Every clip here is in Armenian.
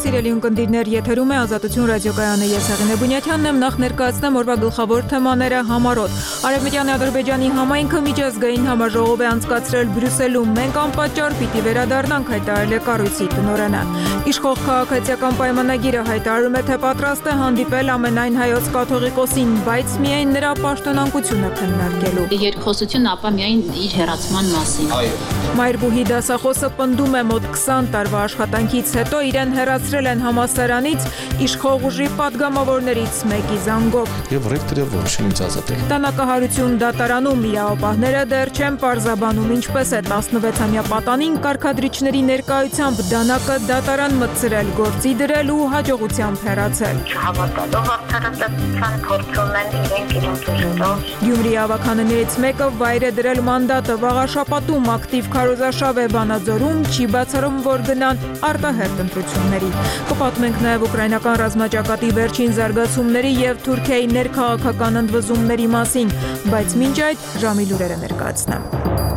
Սիրելի ունկնդիրներ, եթերում է Ազատություն ռադիոկայանը, ես Հեղինե Բունյաթյանն եմ, նախ ներկայացնեմ օրվա գլխավոր թեմաները համառոտ։ Արևմտյան Ադրբեջանի համայնքը միջազգային համաժողով է անցկացրել Բրյուսելում, մենք անպատճառ պիտի վերադառնանք, հայտարարել է կառույցի տնօրենը։ Իշխող քաղաքացիական պայմանագիրը հայտարարում է, թե պատրաստ է հանդիպել ամենայն հայոց կաթողիկոսին, բայց միայն նրա պաշտոնանկությունը քննարկելու։ Երկխոսություն ապա միայն իր հեռացման մասին։ Մայրբուհի դասախոսը պնդում է, մոտ 20 տարվա աշխատանքից հետո իրեն հեռացրել են համալսարանից իշխող ուժի падգամավորներից մեկի զանգով։ Եվ ռեկտորը որոշել ինձ ազատել։ Տնակահարություն դատարանում իրավապահները դեռ չեն պարզաբանում ինչպես է 16-ամյա պատանին կարգադրիչների ներկայությամբ դանակը դատարան մտցրել, գործի դրել ու հաջողությամբ հեռացել։ Չհավատալով արդարադատության փորձում են իրենք ուժերով։ Գյումրի ավականներից մեկը վայր է դրել մանդատը, վաղաշապատում ակտիվ քարոզարշավ է Վանաձորում, չի բացառում, որ գնան արտահերթ ընտրությունների։ Կպատմենք նաև ուկրաինական ռազմաճակատի վերջին զարգացումների եւ Թուրքիայի ներքաղաքական ընդվզումների մասին, բայց մինչ այդ ժամի լուրերը ներկայացնեմ։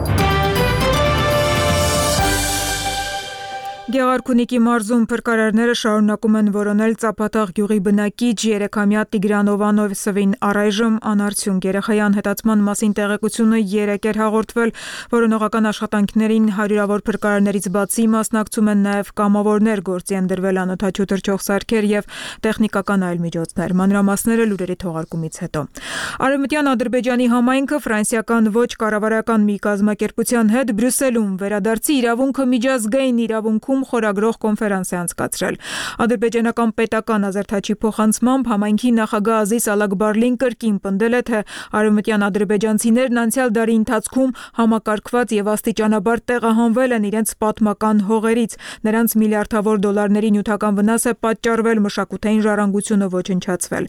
Գեղարքունիքի մարզում փրկարարները շարունակում են որոնել Ծափաթաղ գյուղի բնակիչ 3-ամյա Տիգրան Ովանովսովին առայժմ անարդյունք։ Երեխայի անհետացման մասին տեղեկությունը 3 էր հաղորդվել, որոնողական աշխատանքներին հարյուրավոր փրկարարներից բացի մասնակցում են նաև կամավորներ, գործի են դրվել անօդաչու թռչող սարքեր եւ տեխնիկական այլ միջոցներ։ Մանրամասները լուրերի թողարկումից հետո։ Արևմտյան Ադրբեջանի համայնքը ֆրանսիական ոչ կառավարական մի կազմակերպության հետ Բրյուսելում վերադարձի իրավունքը միջազգային իրավունքում խորագրող կոնֆերանս է անցկացրել։ Ադրբեջանական պետական ազերթաչի փոխանցմամբ համայնքի նախագահ Ազիզ Ալակբարլին կրկին պնդել է, թե արևմտյան ադրբեջանցիներն անցյալ դարի ընթացքում համակարգված եւ աստիճանաբար տեղահանվել են իրենց պատմական հողերից։ Նրանց միլիարդավոր դոլարների նյութական վնաս է պատճառվել, մշակութային ժառանգությունը ոչնչացվել։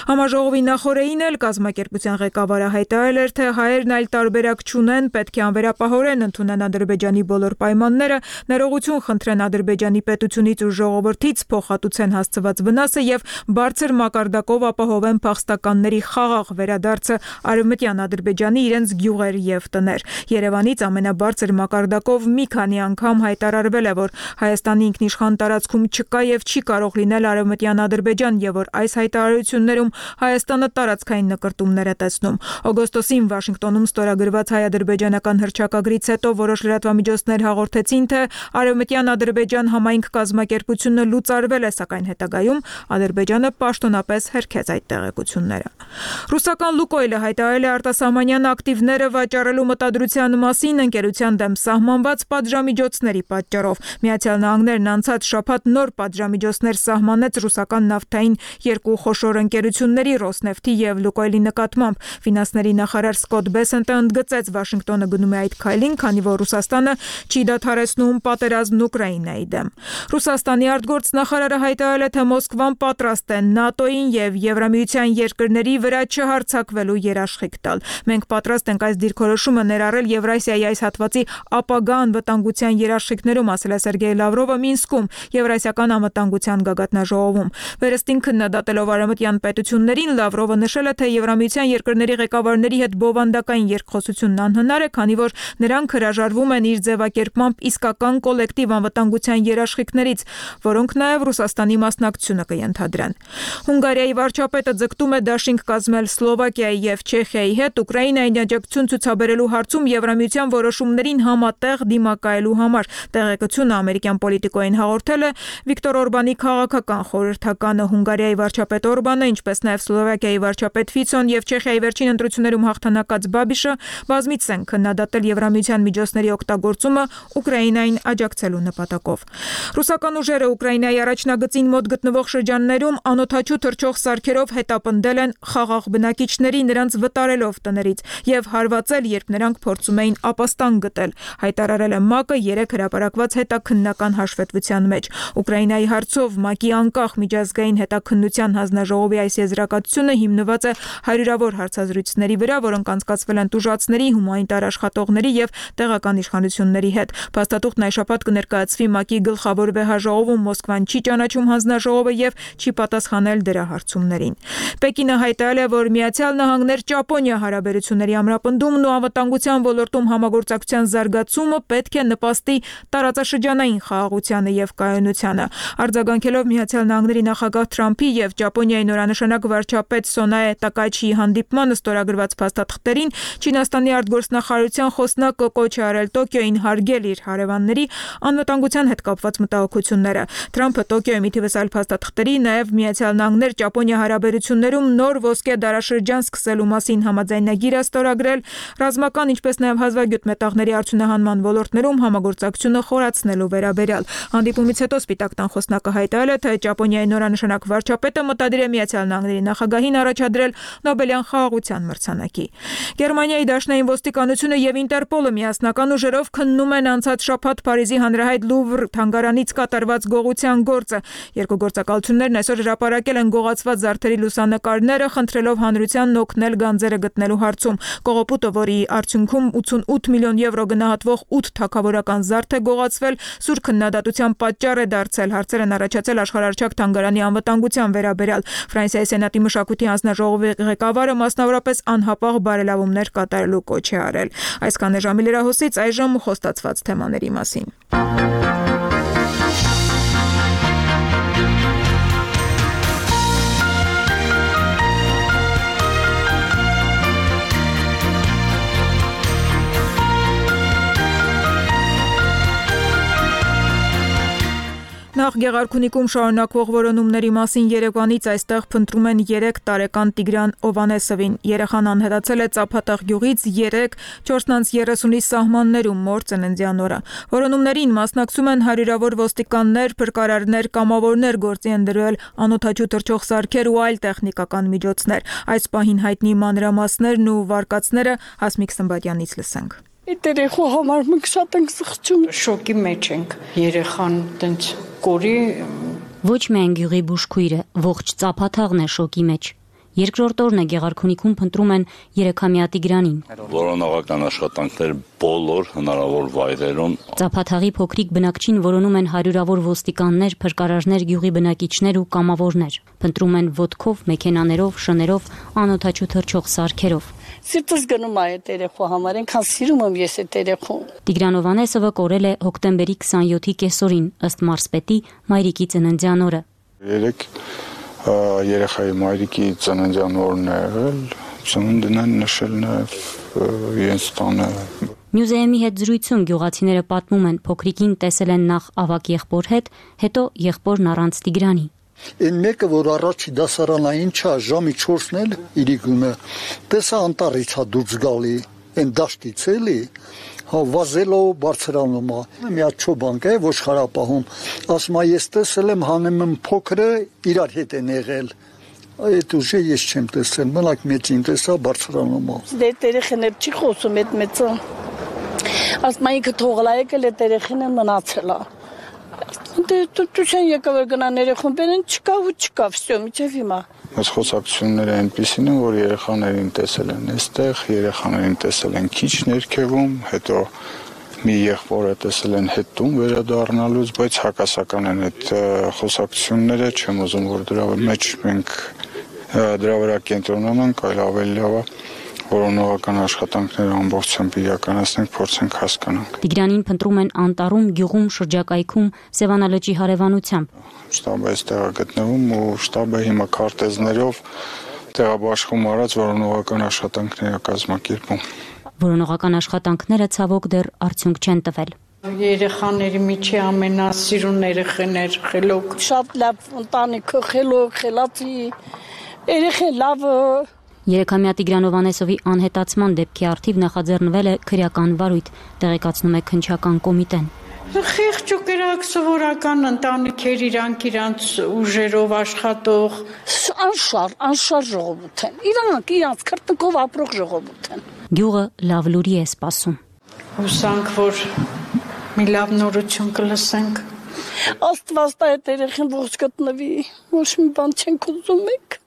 Համաժողովի նախօրեին էլ կազմակերպության ղեկավարը հայտարարել էր, թե հայերն այլ տարբերակ չունեն, պետք է անվերապահորեն ընդունեն Ադրբեջանի բոլոր պայմանները, ներողություն խնդրեն Ադրբեջանի պետությունից ու ժողովրդից, փոխհատուցեն հասցված վնասը եւ բարձր մակարդակով ապահովեն փախստականների խաղաղ վերադարձը արևմտյան Ադրբեջանի իրենց գյուղեր եւ տներ։ Երևանից ամենաբարձր մակարդակով մի քանի անգամ հայտարարվել է, որ Հայաստանի ինքնիշխան տարածքում չկա եւ չի կարող լինել արևմտյան Ադրբեջան եւ որ այս հայտարարություններում Հայաստանը տարածքային նկրտումներ է տեսնում։ Օգոստոսին Վաշինգտոնում ստորագրված հայ-ադրբեջանական հռչակագրից հետո որոշ լրատվամիջոցներ հաղորդեցին, թե արևմտյան Ադրբեջան համայնք կազմակերպությունը լուծարվել է, սակայն հետագայում Ադրբեջանը պաշտոնապես հերքեց այդ տեղեկությունները։ Ռուսական Լուկոյլը հայտարարել է արտասահմանյան ակտիվները վաճառելու մտադրության մասին ընկերության դեմ սահմանված պատժամիջոցների պատճառով։ Միացյալ Նահանգներն անցած շաբաթ նոր պատժամիջոցներ սահմանեց ռուսական նավթային երկու խոշոր ընկերությունների Ռոսնեֆթի եւ Լուկոյլի նկատմամբ։ Ֆինանսների նախարար Սկոտ Բեսենտը ընդգծեց Վաշինգտոնը գնում է այդ քայլին, քանի որ Ռուսաստանը չի դադարեցնում պատերազմն Ուկրաինայի դեմ։ Ռուսաստանի արտգործնախարարը հայտարարել է, թե Մոսկվան պատրաստ է ՆԱՏՕ-ին եւ Եվրամիության երկրների վրա չհարձակվելու երաշխիք տալ։ Մենք պատրաստ ենք այս դիրքորոշումը ներառել Եվրասիայի այս հատվածի ապագա անվտանգության երաշխիքներում, ասել է Սերգեյ Լավրովը Մինսկում Եվրասիական անվտանգության գագաթնաժողովում։ Վերստին քննադատելով արևմտյան պետություններին, Լավրովը նշել է, թե Եվրամիության երկրների ղեկավարների հետ բովանդակային երկխոսությունն անհնար է, քանի որ նրանք հրաժարվում են իր ձևակերպմամբ իսկական կոլեկտիվ անվտանգության երաշխիքներից, որոնք նաև Ռուսաստանի մասնակցությունը կընդհանրեն։ Հունգարիայի վարչապետը ձգտում է դաշինք կազմել Սլովակիայի եւ Չեխիայի հետ Ուկրաինային աջակցություն ցուցաբերելու հարցում Եվրամիության որոշումներին համատեղ դիմակայելու համար։ Տեղեկությունը ամերիկյան պոլիտիկոյին հաղորդել է Վիկտոր Օրբանի քաղաքական խորհրդականը։ Հունգարիայի վարչապետ Օրբանը, ինչպես նաև Սլովակիայի վարչապետ Ֆիցոն եւ Չեխիայի վերջին ընտրություններում հաղթանակած Բաբիշը բազմիցս են քննադատել Եվրամիության միջոցների օգտագործումը Ուկրաինային աջակցելու նպատակով։ Ռուսական ուժերը Ուկրաինայի առաջնագծին մոտ գտնվող շրջաններում անօդաչու թռչող սարքերով հետապնդել են խաղաղ բնակիչների, նրանց վտարելով տներից եւ հարվածել, երբ նրանք փորձում էին ապաստան գտել, հայտարարել է ՄԱԿ-ը 3 հրապարակված հետաքննական հաշվետվության մեջ։ Ուկրաինայի հարցով ՄԱԿ-ի անկախ միջազգային հետաքննության հանձնաժողովի այս եզրակացությունը հիմնված է հարյուրավոր հարցազրույցների վրա, որոնք անցկացվել են տուժածների, հումանիտար աշխատողների եւ տեղական իշխանությունների հետ։ Փաստաթուղթն այս շաբաթ կներկայացվի հաշվի ՄԱԿ-ի գլխավոր վեհաժողովում Մոսկվան չի ճանաչում հանձնաժողովը եւ չի պատասխանել դրա հարցումներին։ Պեկինը հայտարարել է, որ Միացյալ Նահանգներ-Ճապոնիա հարաբերությունների ամրապնդումն ու անվտանգության ոլորտում համագործակցության զարգացումը պետք է նպաստի տարածաշրջանային խաղաղությանը եւ կայունությանը։ Արձագանքելով Միացյալ Նահանգների նախագահ Թրամփի եւ Ճապոնիայի նորանշանակ վարչապետ Սոնաե Տակաչիի հանդիպմանը ստորագրված փաստաթղթերին, Չինաստանի արտգործնախարարության խոսնակը կոչ է արել Տոկիոյին հարգել իր հարևանների անվտանգության հետ կապված մտահոգությունները։ Թրամփը Տոկիոյի մի թվս այլ փաստաթղթերի, նաեւ Միացյալ Նահանգներ-Ճապոնիա հարաբերություններում նոր ոսկե դարաշրջան սկսելու մասին համաձայնագիր է ստորագրել, ռազմական, ինչպես նաեւ հազվագյուտ մետաղների արդյունահանման ոլորտներում համագործակցությունը խորացնելու վերաբերյալ։ Հանդիպումից հետո Սպիտակ տան խոսնակը հայտարարել է, թե Ճապոնիայի նորանշանակ վարչապետը մտադիր է Միացյալ Նահանգների նախագահին առաջադրել Նոբելյան խաղաղության մրցանակի։ Գերմանիայի դաշնային ոստիկանությունը եւ Ինտերպոլը միասնական ուժերով քննում են անցած շաբաթ Փարիզի հանրահայտ Լուվր թանգարանից կատարված գողության գործը։ Երկու գործակալություններն այսօր հրապարակել են գողացված զարդերի լուսանկարները, խնդրելով հանրությանն օգնել գանձերը գտնելու հարցում։ Կողոպուտը, որի արդյունքում 88 միլիոն եվրո գնահատվող 8 թագավորական զարդ է գողացվել, սուր քննադատության պատճառ է դարձել։ Հարցեր են առաջացել աշխարհարչակ թանգարանի անվտանգության վերաբերյալ։ Ֆրանսիայի Սենատի մշակույթի հանձնաժողովի ղեկավարը մասնավորապես անհապաղ բարելավումներ կատարելու կոչ է արել։ Այսքան է ժամի լրահոսից, այժմ խոստացված թեմաների մասին։ Նախ Գեղարքունիքում շարունակվող որոնումների մասին Երևանից այստեղ փնտրում են 3 տարեկան Տիգրան Օվանեսովին։ Երեխան անհետացել է Ծափատաղ գյուղից 3:4:30-ի սահմաններում մոր ծննդյան օրը։ Որոնումներին մասնակցում են հարյուրավոր ոստիկաններ, փրկարարներ, կամավորներ, գործի են դրել անօդաչու թռչող սարքեր ու այլ տեխնիկական միջոցներ։ Այս պահին հայտնի մանրամասներն ու վարկածները Հասմիկ Սմբատյանից լսենք։ Երեխու համար մենք շատ ենք սխչում, շոկի մեջ ենք։ Երեխան տենց կորի ոչ միայն գյուղի բուժքույրը, ողջ Ծափաթաղն է շոկի մեջ։ Երկրորդ օրն է Գեղարքունիքում փնտրում են 3-ամյա Տիգրանին։ Որոնողական աշխատանքներ բոլոր հնարավոր վայրերում։ Ծափաթաղի փոքրիկ բնակչին որոնում են հարյուրավոր ոստիկաններ, փրկարարներ, գյուղի բնակիչներ ու կամավորներ։ Փնտրում են ոտքով, մեքենաներով, շներով, անօդաչու թռչող սարքերով։ Սիրտս գնում է այդ երեխու համար, այնքան սիրում եմ ես այդ երեխուն։ Տիգրան Օվանեսովը կորել է հոկտեմբերի 27-ի կեսօրին, ըստ մարզպետի մայրիկի ծննդյան օրը։ Երեխայի մայրիկի ծննդյան օրն է եղել, ծնունդն են նշել նաև իրենց տանը։ Մյուզեումի հետ զրույցում գյուղացիները պատմում են, փոքրիկին տեսել են նախ ավագ եղբոր հետ, հետո եղբորն առանց Տիգրանի։ Այն մեկը, որ առաջի դասարանային չա, ժամի 4-ն էլ իրիկունը, տեսա անտառից հա դուրս գալի, այն դաշտից էլի, հա վազելով բարձրանում է։ Մի հատ չոբանք է, ոչխարապահում, ասում է ես տեսել եմ հանեմ փոքրը իրար հետ են եղել։ Այդ ուժը ես չեմ տեսել, մենակ մեծին տեսա բարձրանում է։ Դե երեխան էլ չի խոսում այդ մեծը։ Ասում է ինքը թողել է եկել այդ երեխան է մնացել է։ Դե դուքան եկավ գնան երեխան բերեն չկա ու չկա, վсё, միջև հիմա։ Այս խոսակցությունները այնպիսին են, որ երեխաներին տեսել են այստեղ, երեխաներին տեսել են քիչ ներքևում, հետո մի եղբորը տեսել են հետում վերադառնալուց, բայց հակասական են այդ խոսակցությունները, չեմ ուզում որ դրա մեջ մենք դրա վրա կենտրոնանանք, այլ ավելի լավ է որոնողական աշխատանքները ամբողջությամբ իրականացնենք, փորձենք հասկանանք։ Տիգրանին փնտրում են անտառում, գյուղում, շրջակայքում, Սևանալճի հարևանությամբ։ Շտաբը այստեղ է գտնվում ու շտաբը հիմա քարտեզներով տեղաբաշխում արած որոնողական աշխատանքներ է կազմակերպում։ Որոնողական աշխատանքները ցավոք դեռ արդյունք չեն տվել։ Երեխաների միջի ամենասիրուն երեխաներ խելոք, շատ լավ ընտանիքը խելոք, խելացի, երեխա լավը։ 3-ամյա Տիգրան Օվանեսովի անհետացման դեպքի առթիվ նախաձեռնվել է քրեական վարույթ, տեղեկացնում է քննչական կոմիտեն։ Խիղճ ու կրակ սովորական ընտանիքեր իրանց ուժերով աշխատող անշար ժողովուրդ են։ Իրանց քրտնքով ապրող ժողովուրդ են։ Գյուղը լավ լուրի է սպասում։ Հուսանք, որ մի լավ նորություն կլսենք։ Աստված տա այդ երեխան ողջ գտնվի, ոչ մի բան չենք ուզում մենք։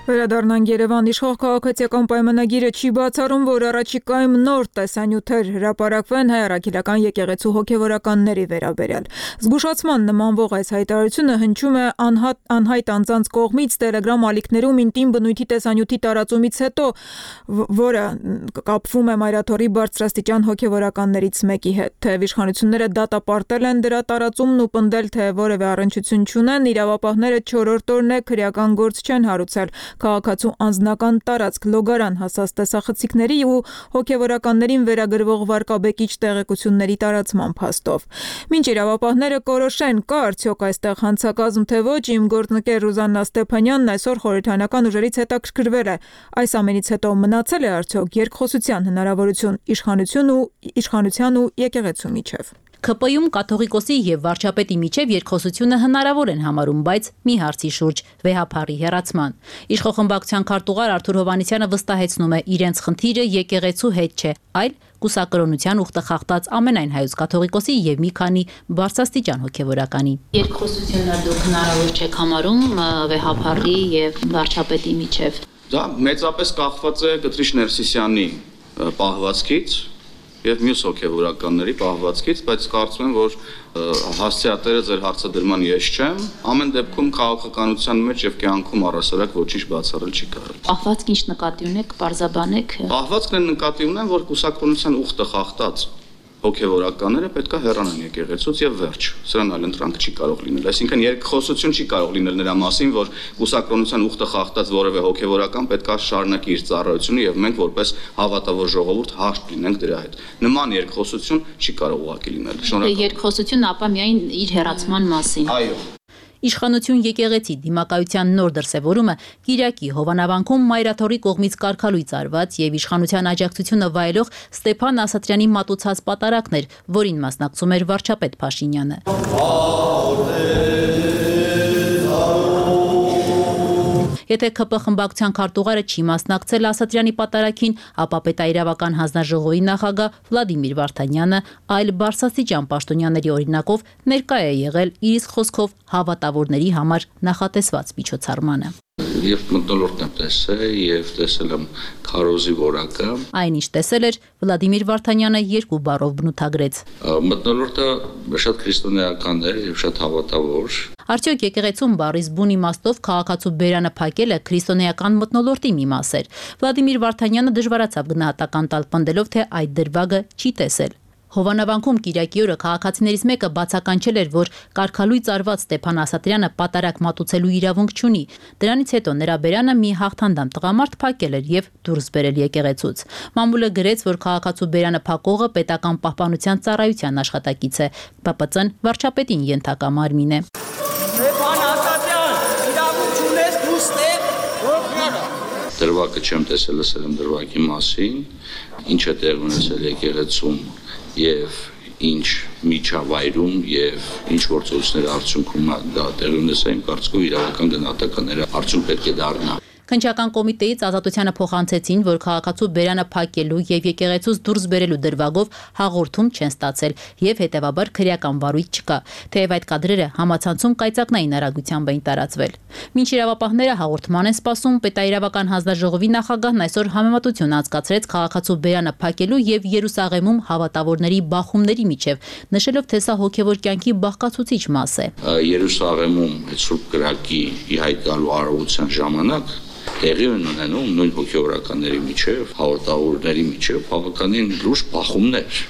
Վերադառնանք Երևան, իշխող քաղաքացիական պայմանագիրը չի բացառում, որ առաջիկայում նոր տեսանյութեր հրապարակվեն հայ առաքելական եկեղեցու հոգևորականների վերաբերյալ։ Զգուշացման նմանվող այս հայտարարությունը հնչում է անհայտ անձանց կողմից Telegram ալիքներում ինտիմ բնույթի տեսանյութի տարածումից հետո, որը կապվում է Մայրաթորի բարձրաստիճան հոգևորականներից մեկի հետ։ Թեև իշխանությունները դատապարտել են դրա տարածումն ու պնդել, թե որևէ առնչություն չունեն, իրավապահները 4-րդ օրն է քրեական գործ չեն հարուցել քաղաքացու անձնական տարածք լոգարան հասած տեսախցիկների ու հոգևորականներին վերագրվող վարկաբեկիչ տեղեկությունների տարածման փաստով։ Մինչ իրավապահները կորոշեն, կա արդյոք այստեղ հանցակազմ թե ոչ, իմ գործընկեր Ռուզաննա Ստեփանյանն այսօր խորհրդարանական ուժերից հետաքրքրվել է։ Այս ամենից հետո մնացել է արդյոք երկխոսության հնարավորություն իշխանության ու եկեղեցու միջև։ ՔՊ-ում կաթողիկոսի եւ վարչապետի միջև երկխոսությունը հնարավոր են համարում, բայց մի հարցի շուրջ՝ վեհափառի հեռացման։ Իշխողմբակցության քարտուղար Արթուր Հովհաննիսյանը վստահեցնում է, իրենց խնդիրը եկեղեցու հետ չէ, այլ կուսակրոնության ուխտը խախտած ամենայն հայոց կաթողիկոսի եւ մի քանի բարձրաստիճան հոգեվորականի։ Երկխոսությունը դուք հնարավոր չեք համարում վեհափառի եւ վարչապետի միջև։ Դա մեծապես կախված է Կտրիշ Ներսիսյանի պահվածքից եւ մյուս հոգեվորականների պահվածքից, բայց կարծում եմ, որ հասցեատերը ձեր հարցադրման ես չեմ, ամեն դեպքում քաղաքականության մեջ եւ կյանքում առասարակ ոչինչ բացառել չի կարելի։ Պահվածք ինչ նկատի ունեք, պարզաբանեք։ Պահվածքն են նկատի ունեմ, որ կուսակրոնության ուխտը խախտած հոգեվորականները պետքա հեռանան եկեղեցուց եւ վերջ։ Սրան այլ ընտրանք չի կարող լինել։ Այսինքն երկխոսություն չի կարող լինել նրա մասին, որ կուսակրոնության ուխտը խախտած որևէ հոգեվորական պետքա շարունակի իր ծառայությունը եւ մենք որպես հավատավոր ժողովուրդ հաշտ լինենք դրա հետ։ Նման երկխոսություն չի կարող ուղղակի լինել։ Շնորհակալ։ Երկխոսություն ապա միայն իր հեռացման մասին։ Այո։ Իշխանություն եկեղեցի դիմակայության նոր դրսևորումը Կիրակի Հովանավանքում Մայրաթորի կողմից կարգալույծ արված եւ իշխանության աջակցությունը վայելող Ստեփան Ասատրյանի մատուցած պատարակներ, որին մասնակցում էր վարչապետ Փաշինյանը։ Եթե ՔՊ խմբակցության քարտուղարը չի մասնակցել Ասատրյանի պատարակին, ապա պետաիրավական հանձնաժողովի նախագահ Վլադիմիր Վարդանյանը այլ բարձրաստիճան պաշտոնյաների օրինակով ներկա է եղել իր իսկ խոսքով հավատավորների համար նախատեսված միջոցառմանը։ Եվ մթնոլորտն եմ տեսել եւ տեսել եմ քարոզի որակը։ Այնինչ տեսել էր Վլադիմիր Վարդանյանը երկու բառով բնութագրեց։ Մթնոլորտը շատ քրիստոնեական էր եւ շատ հավատավոր։ Արդյոք եկեղեցում բառից բուն իմաստով քաղաքացու բերանը փակելը քրիստոնեական մթնոլորտի մի մաս էր։ Վլադիմիր Վարդանյանը դժվարացավ գնահատական տալ պնդելով, թե այդ դրվագը չի տեսել։ Հովանավանքում Կիրակի օրը քաղաքացիներից մեկը բացականչել էր, որ կարգալույծ արված Ստեփան Ասատրյանը պատարակ մատուցելու իրավունք չունի։ Դրանից հետո նրա բերանը մի հաղթանդամ տղամարդ փակել էր եւ դուրս բերել եկեղեցուց։ Մամուլը գրեց, որ քաղաքացու բերանը փակողը պետական պահպանության ծառայության աշխատակից է։ ՊՊԾ-ն վարչապետին ենթակա մարմին է։ Ստեփան Ասատրյան, իրավունք չունես դուրս տեղ։ Դրվագը չեմ տեսել, լսել եմ դրվագի մասին, ինչ է տեղ ունեցել եկեղեցում եւ ինչ միջավայրում եւ ինչ գործողությունների արդյունքում դա տեղի ունեցել, իմ կարծիքով իրավական գնահատականները արդյունք պետք է դառնա։ Քննչական կոմիտեից Ազատությանը փոխանցեցին, որ քաղաքացու բերանը փակելու եւ եկեղեցուց դուրս բերելու դրվագով հաղորդում չեն ստացել եւ հետեւաբար քրեական վարույթ չկա, թեև այդ կադրերը համացանցում կայծակնային արագությամբ էին տարածվել։ Մինչ իրավապահները հաղորդման են սպասում, պետաիրավական հանձնաժողովի նախագահն այսօր համեմատություն անցկացրեց քաղաքացու բերանը փակելու եւ Երուսաղեմում հավատավորների բախումների միջև, նշելով, թե սա հոգեվոր կյանքի բաղկացուցիչ մաս է։ Երուսաղեմում Սուրբ Կրակի ի հայտ գալու արարողության ժամանակ տեղի ունենում նույն հոգեվորականների միջև, հավատավորների միջև բավականին լուրջ բախումներ։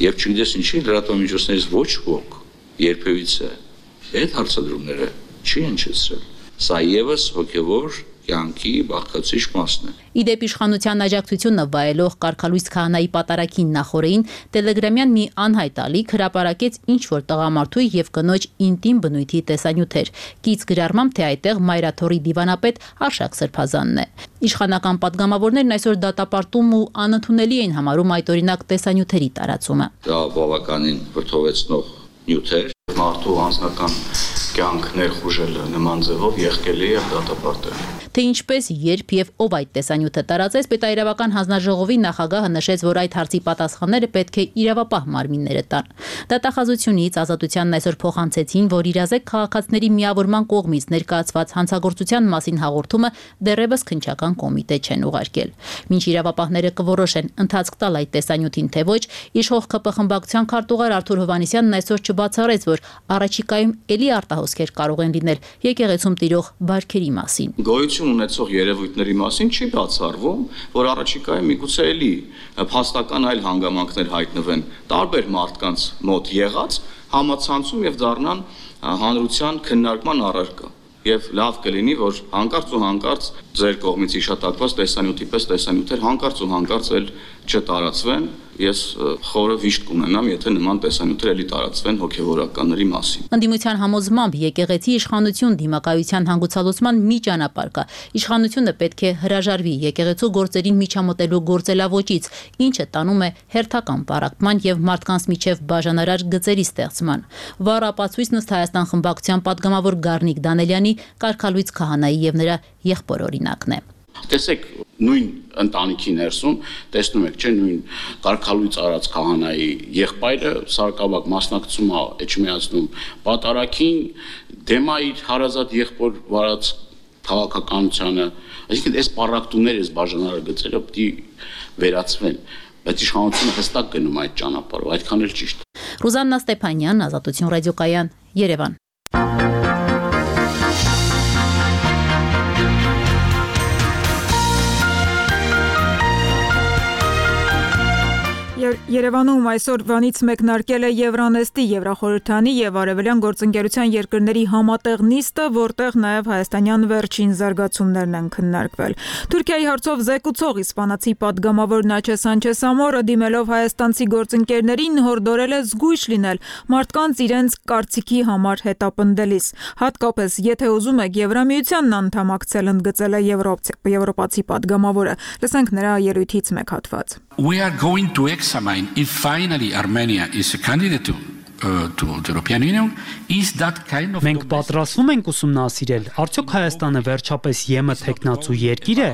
Եվ չգիտես ինչի լրատվամիջոցներից ոչ ոք երբևիցե այդ հարցադրումները չի հնչեցրել։ Սա եւս հոգեվոր կյանքի բաղկացուցիչ մասն է։ Իդեպ իշխանության աջակցությունը վայելող կարգալույծ քահանայի պատարակին նախորդին տելեգրամյան մի անհայտ ալիք հրապարակեց ինչ-որ տղամարդու եւ կնոջ ինտիմ բնույթի տեսանյութեր։ Կից գրառմամբ, թե այդտեղ Մայրաթորի դիվանապետ Արշակ Սրբազանն է։ Իշխանական պատգամավորներն այսօր դատապարտում ու անընդունելի են համարում այդ օրինակ տեսանյութերի տարածումը։ Դա բավականին վրդովեցնող նյութ էր։ Մարդու անձնական կյանք ներխուժելը նման ձևով եղկելի է եւ դատապարտել։ Թե ինչպես, երբ եւ ով այդ տեսանյութը տարածեց, պետաիրավական հանձնաժողովի նախագահը նշեց, որ այդ հարցի պատասխանները պետք է իրավապահ մարմինները տան։ Դատախազությունից Ազատությանն այսօր փոխանցեցին, որ իրազեկ քաղաքացիների միավորման կողմից ներկայացված հանցագործության մասին հաղորդումը դեռևս քննչական կոմիտե չեն ուղարկել։ Մինչ իրավապահները կորոշեն ընթացք տալ այդ տեսանյութին թե ոչ, իշխող ԿՊ խմբակցության քարտուղար Արթուր Հովհաննիսյանն այսօր չբացառեց, որ առաջիկայում ելի արտահոսքեր կարող են լինել եկեղեցում տիրող բարքերի մասին։ Գոյություն ունեցող երևույթների մասին չի բացառվում, որ առաջիկայում միգուցե էլի փաստական այլ հանգամանքներ հայտնվեն տարբեր մարդկանց մոտ եղած համացանցում եւ դառնան հանրության քննարկման առարկա։ Եվ լավ կլինի, որ հանկարծ ու հանկարծ ձեր կողմից իշտակված տեսանյութի պես տեսանյութեր հանկարծ ու հանկարծ էլ չտարածվեն։ Ես խորը վիշտ կունենամ, եթե նման տեսանյութեր էլի տարածվեն հոգևորականների մասին։ Ընդդիմության համոզմամբ եկեղեցի իշխանություն դիմակայության հանգուցալուծման մի ճանապարհ կա։ Իշխանությունը պետք է հրաժարվի եկեղեցու գործերին միջամտելու գործելավոճից, ինչը տանում է հերթական պառակտման եւ մարդկանց միջև բաժանարար գծերի ստեղծման։ Վառ ապացույցն ըստ Հայաստան խմբակցության падգամավոր Գառնիկ Դանելյանի կարգալույց քահանայի եւ նրա եղբոր օրինակն է։ Տեսեք, նույն ընտանիքի ներսում տեսնում եք, չէ, նույն կարգալույց արած քահանայի եղբայրը սարկավակ մասնակցում է էջմիածնում պատարագին, դեմա իր հարազատ եղբոր վարած քաղաքականությանը, այսինքն այս պառակտումները, այս բաժանարար գծերը պետք է վերացվեն, բայց իշխանությունը հստակ գնում այդ ճանապարհով, այդքան էլ ճիշտ։ Ռուզաննա Ստեփանյան, Ազատություն ռադիոկայան, Երևան։ Երևանում այսօր վանից մեկնարկել է Եվրանեստի Եվրախորհրդանի եւ Արևելյան գործընկերության երկրների համատեղ նիստը, որտեղ նաեւ հայաստանյան վերջին զարգացումներն են քննարկվել։ Թուրքիայի հարցով զեկուցող իսպանացի падգամավոր Նաչե Սանչես Ամորը դիմելով հայաստանցի գործընկերներին հորդորել է զգույշ լինել մարդկանց իրենց կարծիքի համար հետապնդելիս։ Հատկապես եթե ուզում եք Եվրամիությանն անդամակցել, ընդգծել է եվրոպացի падգամավորը։ Լսենք նրա ելույթից մեկ հատված։ We are going to examine if finally Armenia is a candidate to the European Union, is that kind of... Մենք պատրաստվում ենք ուսումնասիրել, արդյոք Հայաստանը վերջապես ԵՄ թեկնածու երկիր է,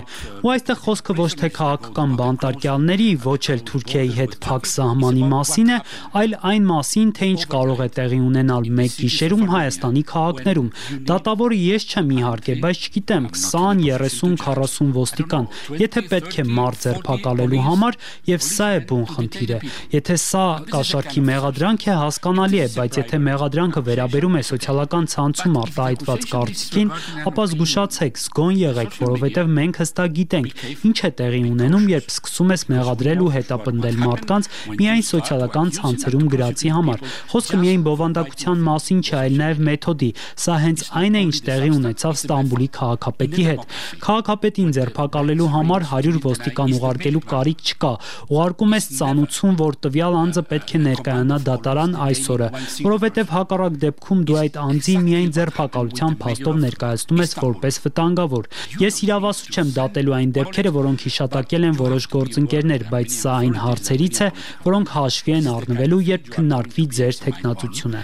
ու այստեղ խոսքը ոչ թե քաղաքական բանտարկյալների, ոչ էլ Թուրքիայի հետ փակ սահմանի մասին է, այլ այն մասին, թե ինչ կարող է տեղի ունենալ մեկ գիշերում Հայաստանի քաղաքներում։ Դատավորը ես չեմ իհարկե, բայց չգիտեմ, 20, 30, 40 ոստիկան, եթե պետք է մարդ ձերբակալելու համար, եւ սա է բուն խնդիրը։ Եթե սա կաշառքի մեղադրանք է, հասկանալի է, բայց եթե մեղադրանքը վերաբերում է սոցիալական ցանցում արտահայտված կարծիքին, ապա զգուշացեք, զգոն եղեք, որովհետև մենք հստակ գիտենք, ինչ է տեղի ունենում, երբ սկսում ես մեղադրել ու հետապնդել մարդկանց միայն սոցիալական ցանցերում գրածի համար։ Խոսքը միայն բովանդակության մասին չէ, այլ նաև մեթոդի։ Սա հենց այն է, ինչ տեղի ունեցավ Ստամբուլի քաղաքապետի հետ։ Քաղաքապետին ձերբակալելու համար 100 ոստիկան ուղարկելու կարիք չկա։ Ուղարկում ես ծանուցում, որ տվյալ անձը պետք է ներկայանա դատարան այսօրը, որովհետև հակառակ դեպքում դու այդ անձի միայն ձերբակալության փաստով ներկայացնում ես որպես վտանգավոր։ Ես իրավասու չեմ դատելու այն դեպքերը, որոնք հիշատակել են որոշ գործընկերներ, բայց սա այն հարցերից է, որոնք հաշվի են առնվելու, երբ քննարկվի ձեր թեկնածությունը։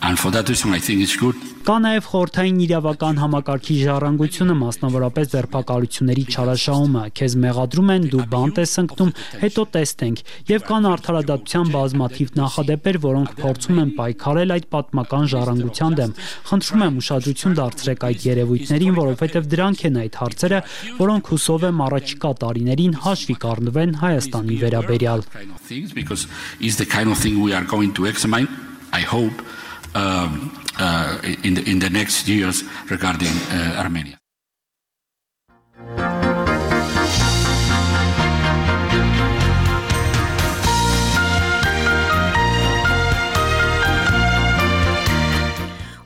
And for that reason, I think it's good. Կա նաև խորհրդային իրավական համակարգի ժառանգությունը, մասնավորապես ձերբակալությունների չարաշահումը։ Քեզ մեղադրում են, դու բանտ ես ընկնում, հետո տեստենք։ Եվ կան արդարադատության բազմաթիվ նախադեպեր, որոնք փորձում են պայքարել այդ պատմական ժառանգության դեմ։ Խնդրում եմ ուշադրություն դարձրեք այդ երևույթներին, որովհետև դրանք են այդ հարցերը, որոնք հուսով եմ առաջիկա տարիներին հաշվի կառնվեն Հայաստանի վերաբերյալ։ Because it's the kind of thing we are going to examine, I hope, in the next years regarding Armenia.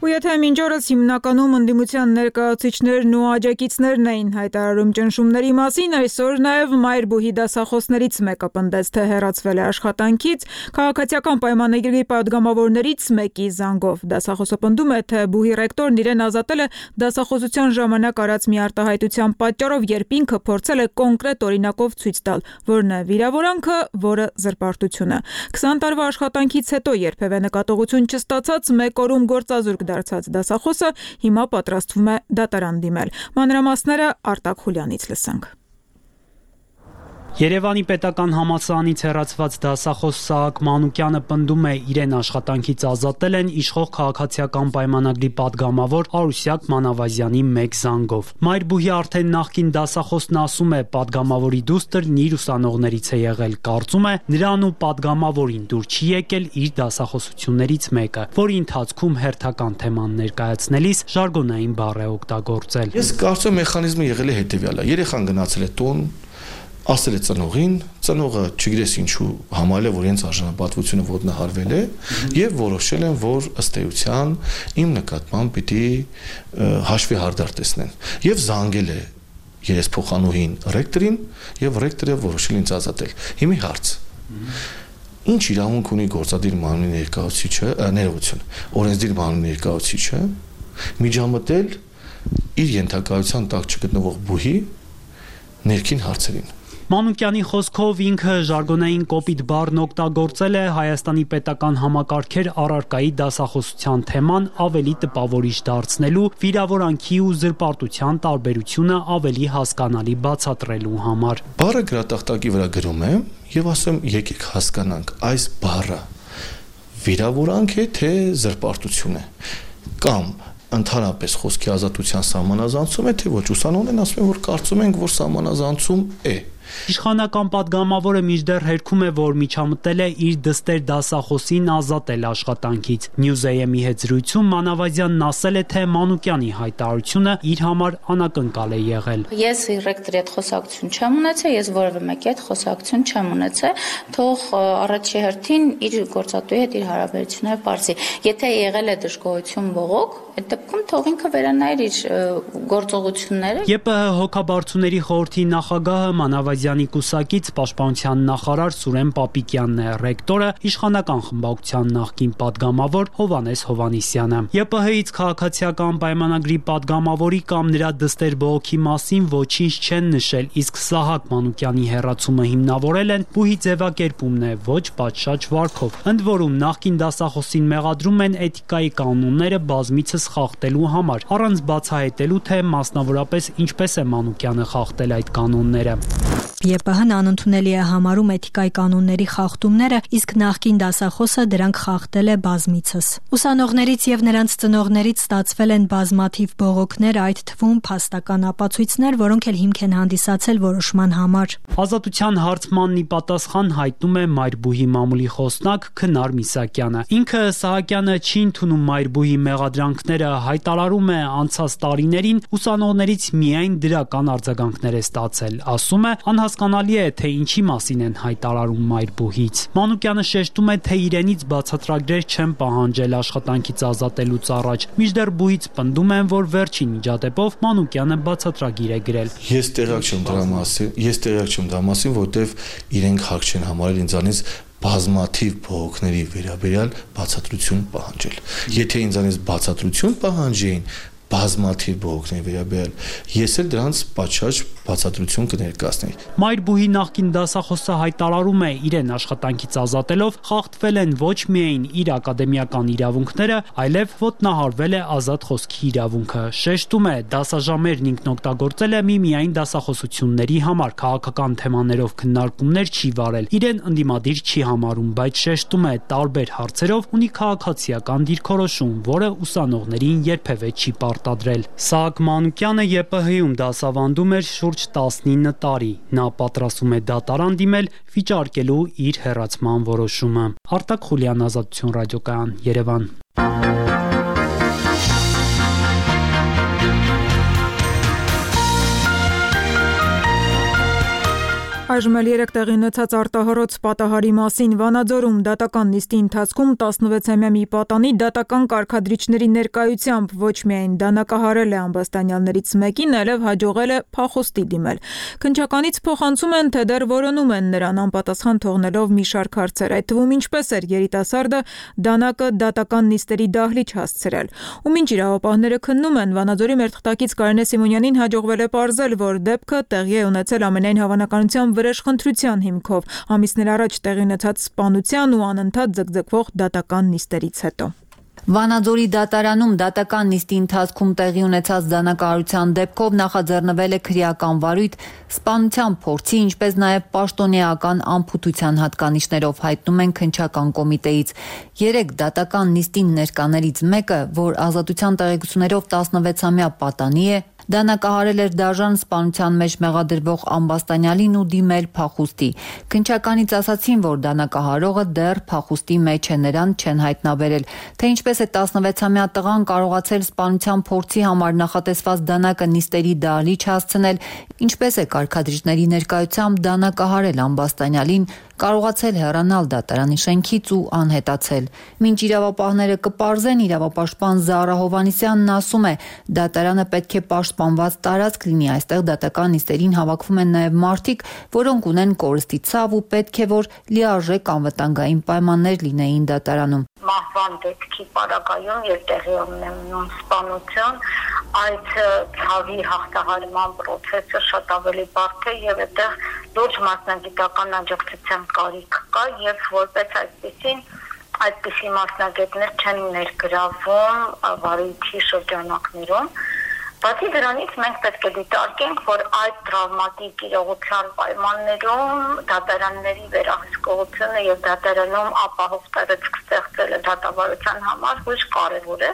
Ու եթե մինչ օրս հիմնականում ընդդիմության ներկայացուցիչներն ու աջակիցներն էին հայտարարում ճնշումների մասին, այսօր նաև Մայրբուհի դասախոսներից մեկը պնդեց, թե հեռացվել է աշխատանքից քաղաքացիական պայմանագրի պատգամավորներից մեկի զանգով։ Դասախոսը պնդում է, թե բուհի ռեկտորն իրեն ազատել է դասախոսության ժամանակ արած մի արտահայտության պատճառով, երբ ինքը փորձել է կոնկրետ օրինակով ցույց տալ, որն է վիրավորանքը, որը զրպարտությունը։ 20 տարվա աշխատանքից հետո երբևէ նկատողություն չստացած մեկ օրում գործազուրկ դարձած դասախոսը հիմա պատրաստվում է դատարան դիմել։ Մանրամասները Արտակ Խուլյանից լսենք։ Երևանի պետական համալսարանից հեռացված դասախոս Սահակ Մանուկյանը պնդում է, իրեն աշխատանքից ազատել են իշխող քաղաքացիական պայմանագրի պատգամավոր Արուսյակ Մանավազյանի մեկ զանգով։ Մայրբուհի արդեն նախկին դասախոսն ասում է, պատգամավորի դուստրն իր ուսանողներից է եղել, կարծում է, նրան ու պատգամավորին դուր չի եկել իր դասախոսություններից մեկը, որի ընթացքում հերթական թեման ներկայացնելիս ժարգոնային բառ է օգտագործել։ Ես կարծում եմ մեխանիզմը եղել է հետևյալը. երեխան գնացել է տուն, ասել է ծնողին, ծնողը չգիտես ինչու համարել է, որ իրենց արժանապատվությունը ոտնահարվել է եւ որոշել են, որ ըստ էության իմ նկատմամբ պիտի հաշվի հարդար տեսնեն եւ զանգել է երեսփոխանուհին ռեկտորին եւ ռեկտորը որոշել ինձ ազատել։ Հիմի հարց. ինչ իրավունք ունի գործադիր մարմնի ներկայացուցիչը, ներողություն, օրենսդիր մարմնի ներկայացուցիչը միջամտել իր ենթակայության տակ չգտնվող բուհի ներքին հարցերին։ Մանուկյանի խոսքով ինքը ժարգոնային կոպիտ բառն օգտագործել է Հայաստանի պետական համակարգեր առարկայի դասախոսության թեման ավելի տպավորիչ դարձնելու, վիրավորանքի ու զրպարտության տարբերությունը ավելի հասկանալի բացատրելու համար։ Բառը գրատախտակի վրա գրում եմ եւ ասում եկեք հասկանանք այս բառը վիրավորանք է թե զրպարտություն է կամ ընդհանրապես խոսքի ազատության սահմանազանցում է թե ոչ, ուսանողներն ասում են, որ կարծում են, որ սահմանազանցում է։ Իշխանական պատգամավորը մինչդեռ հերքում է, որ միջամտել է իր դստեր դասախոսին ազատել աշխատանքից։ News.am-ի հետ զրույցում Մանավազյանն ասել է, թե Մանուկյանի հայտարարությունը իր համար անակնկալ է եղել։ Ես ռեկտորի հետ խոսակցություն չեմ ունեցել, ես որևէ մեկի հետ խոսակցություն չեմ ունեցել, թող առաջի հերթին իր գործատուի հետ իր հարաբերությունները բարձի։ Եթե եղել է դժգոհություն բողոք, այդ դեպքում թող ինքը վերանայր իր գործողությունները։ ԵՊՀ հոգաբարձուների խորհրդի նախագահը Մանավազյանի կուսակից պաշտպանության նախարար Սուրեն Պապիկյանն է, ռեկտորը իշխանական խմբակցության նախկին պատգամավոր Հովհաննես Հովհաննիսյանը։ ԵՊՀ-ից քաղաքացիական պայմանագրի պատգամավորի կամ նրա դստեր բողոքի մասին ոչինչ չեն նշել, իսկ Սահակ Մանուկյանի հեռացումը հիմնավորել են բուհի ձևակերպումն է, ոչ պատշաճ վարքով։ Ընդ որում նախկին դասախոսին մեղադրում են էթիկայի կանոնները բազմիցս խախտելու համար, առանց բացահայտելու, թե մասնավորապես ինչպես է Մանուկյանը խախտել այդ կանոնները։ ԵՊՀ-ն անընդունելի է համարում էթիկայի կանոնների խախտումները, իսկ նախկին դասախոսը դրանք խախտել է բազմիցս։ Ուսանողներից եւ նրանց ծնողներից ստացվել են բազմաթիվ բողոքներ, այդ թվում փաստական ապացույցներ, որոնք էլ հիմք են հանդիսացել որոշման համար։ Ազատության հարցմանն ի պատասխան հայտնում է Մայրբուհի մամուլի խոսնակ Քնար Միսակյանը։ Ինքը Սահակյանը չի ընդունում Մայրբուհի մեղադրանքները, հայտարարում է անցած տարիներին ուսանողներից միայն դրական արձագանքներ է ստացել։ Ասում է, անհասկանալի է, թե ինչի մասին են հայտարարում Մայրբուհից։ Մանուկյանը շեշտում է, թե իրենից բացատրագրեր չեն պահանջել աշխատանքից ազատելուց առաջ։ Մինչդեռ բուհից պնդում են, որ վերջին միջադեպով Մանուկյանը բացատրագիր է գրել։ Ես տեղյակ չեմ դրա մասին, որտեվ իրենք հակ չեն համարել ինձանից բազմաթիվ բողոքների վերաբերյալ բացատրություն պահանջել։ Եթե ինձանից բացատրություն պահանջեին բազմաթիվ բողոքների վերաբերյալ, ես էլ դրանց պատշաճ բացատրություն կներկայացնեի։ Մայրբուհի նախկին դասախոսը հայտարարում է, իրեն աշխատանքից ազատելով խախտվել են ոչ միայն իր ակադեմիական իրավունքները, այլև ոտնահարվել է ազատ խոսքի իրավունքը։ Շեշտում է, դասաժամերն ինքն օգտագործել է միմիայն դասախոսությունների համար, քաղաքական թեմաներով քննարկումներ չի վարել, իրեն ընդդիմադիր չի համարում, բայց շեշտում է, տարբեր հարցերով ունի քաղաքացիական դիրքորոշում, որը ուսանողներին երբևէ չի պարտադրել։ Սահակ Մանուկյանը ԵՊՀ-ում դասավանդում էր շուրջ 19 տարի։ Նա պատրաստվում է դատարան դիմել վիճարկելու իր հեռացման որոշումը։ Արտակ Խուլյան, Ազատություն ռադիոկայան, Երևան։ Այժմ էլ 3 տեղի ունեցած արտահորոց պատահարի մասին Վանաձորում դատական նիստի ընթացքում 16-ամյա մի պատանի դատական կարգադրիչների ներկայությամբ ոչ միայն դանակահարել է ամբաստանյալներից մեկին, այլև հաջողել է փախուստի դիմել։ Քննչականից փոխանցում են, թե դեռ որոնում են նրան անպատասխան թողնելով մի շարք հարցեր, այդ թվում ինչպես էր երիտասարդը դանակը դատական նիստերի դահլիճ հասցրել։ Ու մինչ իրավապահները քննում են, Վանաձորի մեր թղթակից Կարինե Սիմոնյանին հաջողվել է պարզել, որ դեպքը տեղի է ունեցել ամենայն հավանականությամբ վրեժխնդրության հիմքով ամիսներ առաջ տեղի ունեցած սպանության ու անընդհատ ձգձգվող դատական նիստերից հետո։ Վանաձորի դատարանում դատական նիստի ընթացքում տեղի ունեցած դանակահարության դեպքով նախաձեռնվել է քրեական վարույթ սպանության փորձի, ինչպես նաև պաշտոնեական անփութության հատկանիշներով, հայտնում են քննչական կոմիտեից։ 3 դատական նիստին ներկաներից մեկը, որ ազատության տեղեկություններով 16-ամյա պատանի է, դանակահարել էր դաժան սպանության մեջ մեղադրվող ամբաստանյալին ու դիմել փախուստի։ Քննչականից ասացին, որ դանակահարողը դեռ փախուստի մեջ է, նրան չեն հայտնաբերել, թե ինչպես է 16-ամյա տղան կարողացել սպանության փորձի համար նախատեսված դանակը նիստերի դահլիճ հասցնել, ինչպես է կարգադրիչների ներկայությամբ դանակահարել ամբաստանյալին, կարողացել հեռանալ դատարանի շենքից ու անհետացել։ Մինչ իրավապահները կպարզեն, իրավապաշտպան Զարա Հովհաննիսյանն ասում է, դատարանը պետք է պաշտպանված տարածք լինի, այստեղ դատական նիստերին հավաքվում են նաև մարդիկ, որոնք ունեն կորստի ցավ ու պետք է որ լիարժեք անվտանգային պայմաններ լինեին դատարանում։ Մահվան դեպքի պարագայում եւ տեղի ունենում սպանություն, այդ ցավի հաղթահարման process-ը շատ ավելի բարդ է եւ այդտեղ լուրջ մասնագիտական աջակցության կարիք կա եւ որպես այդպիսի մասնագետներ չեն ներգրավում վարույթի շրջանակներում։ Բացի դրանից մենք պետք է դիտարկենք, որ այդ տրավմատիկ իրողության պայմաններում դատարանների վերահսկողությունը եւ դատարանում ապահով տարածք ստեղծելը դատավարության համար ոչ կարեւոր է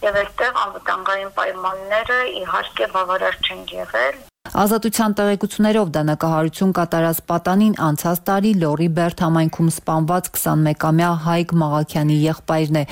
եւ այստեղ անվտանգային պայմանները իհարկե բավարար չեն եղել։ Ազատության տեղեկություններով դանակահարություն կատարած պատանին անցած տարի Լոռի Բերդ համայնքում սպանված 21-ամյա Հայկ Մաղաքյանի եղբայրն է։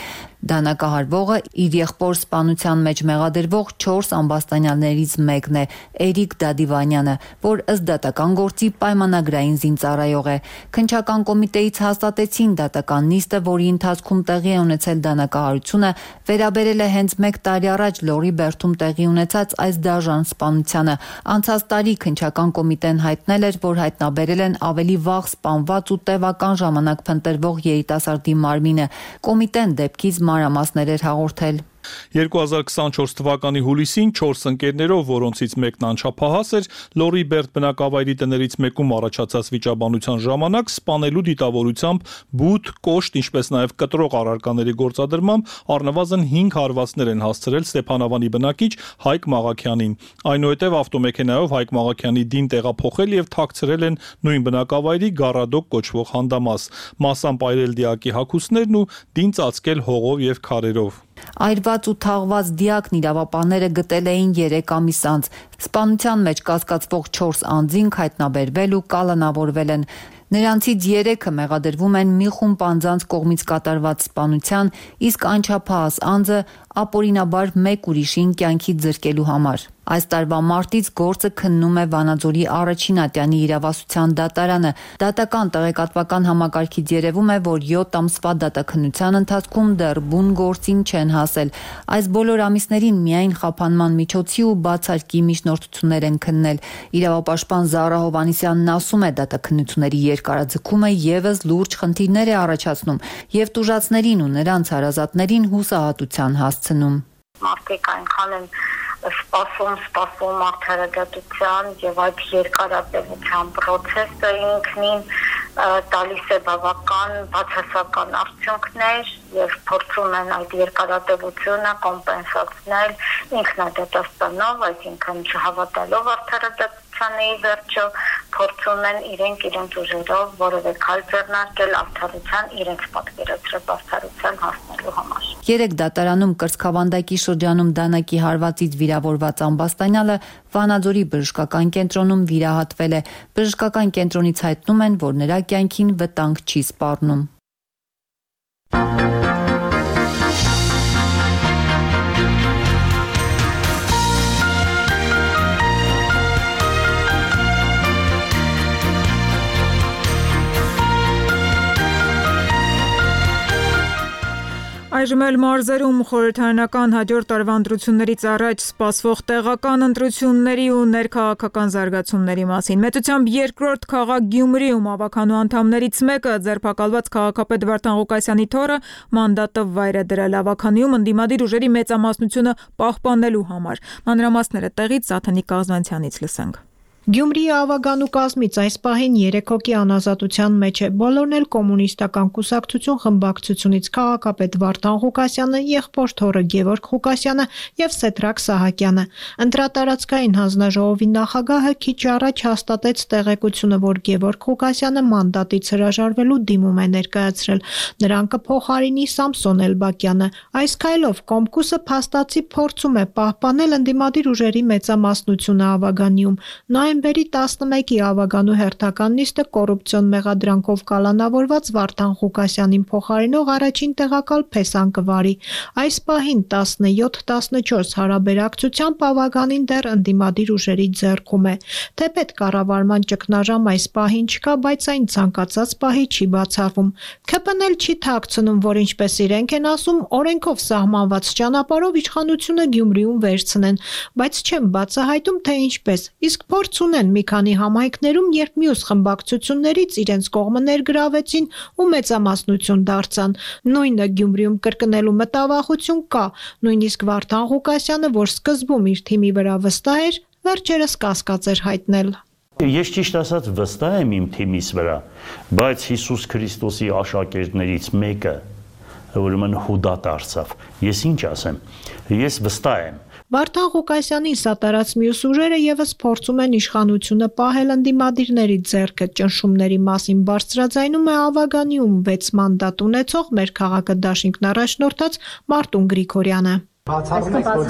Դանակահարվողը իր եղբոր սպանության մեջ մեղադրվող 4 ամբաստանյալներից մեկն է, Էրիկ Դադիվանյանը, որ ըստ դատական գործի պայմանագրային զինծառայող է։ Քննչական կոմիտեից հաստատեցին դատական նիստը, որի ընթացքում տեղի է ունեցել դանակահարությունը, վերաբերել է հենց 1 տարի առաջ Լոռի Բերդում տեղի ունեցած այս դաժան սպանությանը։ Անցած տարի քննչական կոմիտեն հայտնել էր, որ հայտնաբերել են ավելի վաղ սպանված ու տևական ժամանակ փնտրվող երիտասարդի մարմինը։ Կոմիտեն դեպքից մանրամասներ էր հաղորդել։ 2024 թվականի հուլիսին 4 ընկերներով, որոնցից մեկն անչափահաս էր, Լոռի Բերդ բնակավայրի տներից մեկում առաջացած վիճաբանության ժամանակ սպանելու դիտավորությամբ բութ, կոշտ, ինչպես նաև կտրող առարկաների գործադրմամբ առնվազն 5 հարվածներ են հասցրել Ստեփանավանի բնակիչ Հայկ Մաղաքյանին։ Այնուհետև ավտոմեքենայով Հայկ Մաղաքյանի դին տեղափոխել եւ թաքցրել են նույն բնակավայրի Գառադոկ կոչվող հանդամաս, մասամբ այրել դիակի հագուստներն ու դին ծածկել հողով եւ քարերով։ Այրված ու թաղված դիակն իրավապահները գտել էին 3 ամիս անց։ Սպանության մեջ կասկածվող 4 անձինք հայտնաբերվել ու կալանավորվել են։ Նրանցից 3-ը մեղադրվում են մի խումբ անձանց կողմից կատարված սպանության, իսկ անչափահաս անձը ապօրինաբար մեկ ուրիշին կյանքից զրկելու համար։ Այս տարվա մարտից գործը քննում է Վանաձորի առաջին ատյանի իրավասության դատարանը։ Դատական տեղեկատվական համակարգից երևում է, որ 7 ամսվա դատաքննության ընթացքում դեռ բուն գործին չեն հասել։ Այս բոլոր ամիսներին միայն խափանման միջոցի ու բացարկի միջնորդություններ են քննել։ Իրավապաշտպան Զարա Հովհաննիսյանն ասում է, դատաքննությունների երկարաձգումը եւս լուրջ խնդիրներ է առաջացնում եւ տուժածներին ու նրանց հարազատներին հուսահատության հասցնում։ Մարդիկ այնքան են սպասում արդարադատության եւ այդ երկարատևության process-ը ինքնին տալիս է բավական բացասական արդյունքներ եւ փորձում են այդ երկարատևությունը կոմպենսացնել ինքնադատաստանով, այսինքն չհավատալով արդարադատությանը ի վերջո փորձում են իրենց ուժերով որևէ քայլ ձեռնարկել արդարության իրենց պատկերացրած արդարության հասնելու համար։ 3 դատարանում կրծքավանդակի շրջանում դանակի հարվածից վիրավորված ամբաստանյալը Վանաձորի բժշկական կենտրոնում վիրահատվել է։ Բժշկական կենտրոնից հայտնում են, որ նրա կյանքին վտանգ չի սպառնում։ Այժմ էլ մարզերում խորհրդարանական հաջորդ տարվա ընտրություններից առաջ սպասվող տեղական ընտրությունների ու ներքաղաքական զարգացումների մասին։ Մեծությամբ երկրորդ քաղաք Գյումրիում ավականու անդամներից մեկը ձերբակալված քաղաքապետ Վարդան Ղուկասյանի թոռը մանդատը վայր է դրել ավականիում ընդդիմադիր ուժերի մեծամասնությունը պահպանելու համար։ Մանրամասները տեղից Սաթանիկ Կազմանցյանից լսենք։ Գյումրիի ավագանու կազմից այս պահին 3 հոգի անազատության մեջ է։ Բոլորն էլ կոմունիստական կուսակցություն խմբակցությունից քաղաքապետ Վարդան Ղուկասյանը, եղբոր թոռը Գևորգ Ղուկասյանը եւ Սեդրակ Սահակյանը։ Ընտրատարածքային հանձնաժողովի նախագահը քիչ առաջ հաստատեց տեղեկությունը, որ Գևորգ Ղուկասյանը մանդատից հրաժարվելու դիմում է ներկայացրել։ Նրան կփոխարինի Սամսոն Էլբակյանը։ Այս քայլով Կոմկուսը փաստացի փորձում է պահպանել ընդդիմադիր ուժերի մեծամասնությունը ավագանիում։ Նոյեմբերի 11-ի ավագանու հերթական նիստը կոռուպցիոն մեղադրանքով կալանավորված Վարդան Ղուկասյանին փոխարինող առաջին տեղակալ Փեսան Կվարի։ Այս պահին 17-14 հարաբերակցությամբ ավագանին դեռ ընդդիմադիր ուժերի ձեռքում է։ Թեպետ կառավարման ճգնաժամ այս պահին չկա, բայց այն ցանկացած պահի չի բացառվում։ ՔՊՆ-ն էլ չի թաքցնում, որ ինչպես իրենք են ասում, օրենքով սահմանված ճանապարհով իշխանությունը Գյումրիում վերցնեն, բայց չեն բացահայտում, թե ինչպես։ Իսկ փորձ ունեն մի քանի համայնքներում, երբ մյուս խմբակցություններից իրենց կողմը ներգրավեցին ու մեծամասնություն դարձան։ Նույնը Գյումրիում կրկնելու մտավախություն կա, նույնիսկ Վարդան Ղուկասյանը, որ սկզբում իր թիմի վրա վստահ էր, վերջերս կասկած էր հայտնել։ Ես ճիշտ ասած վստահ եմ իմ թիմիս վրա, բայց Հիսուս Քրիստոսի աշակերտներից մեկը ուրեմն Հուդա դարձավ։ Ես ինչ ասեմ։ Ես վստահ եմ։ Վարդան Ղուկասյանին սատարած մյուս ուժերը եւս փորձում են իշխանությունը պահել ընդդիմադիրների ձեռքը։ Ճնշումների մասին բարձրաձայնում է ավագանիում 6 մանդատ ունեցող մեր քաղաքը դաշինքն առաջնորդած Մարտուն Գրիգորյանը։ Բացառում եք, որ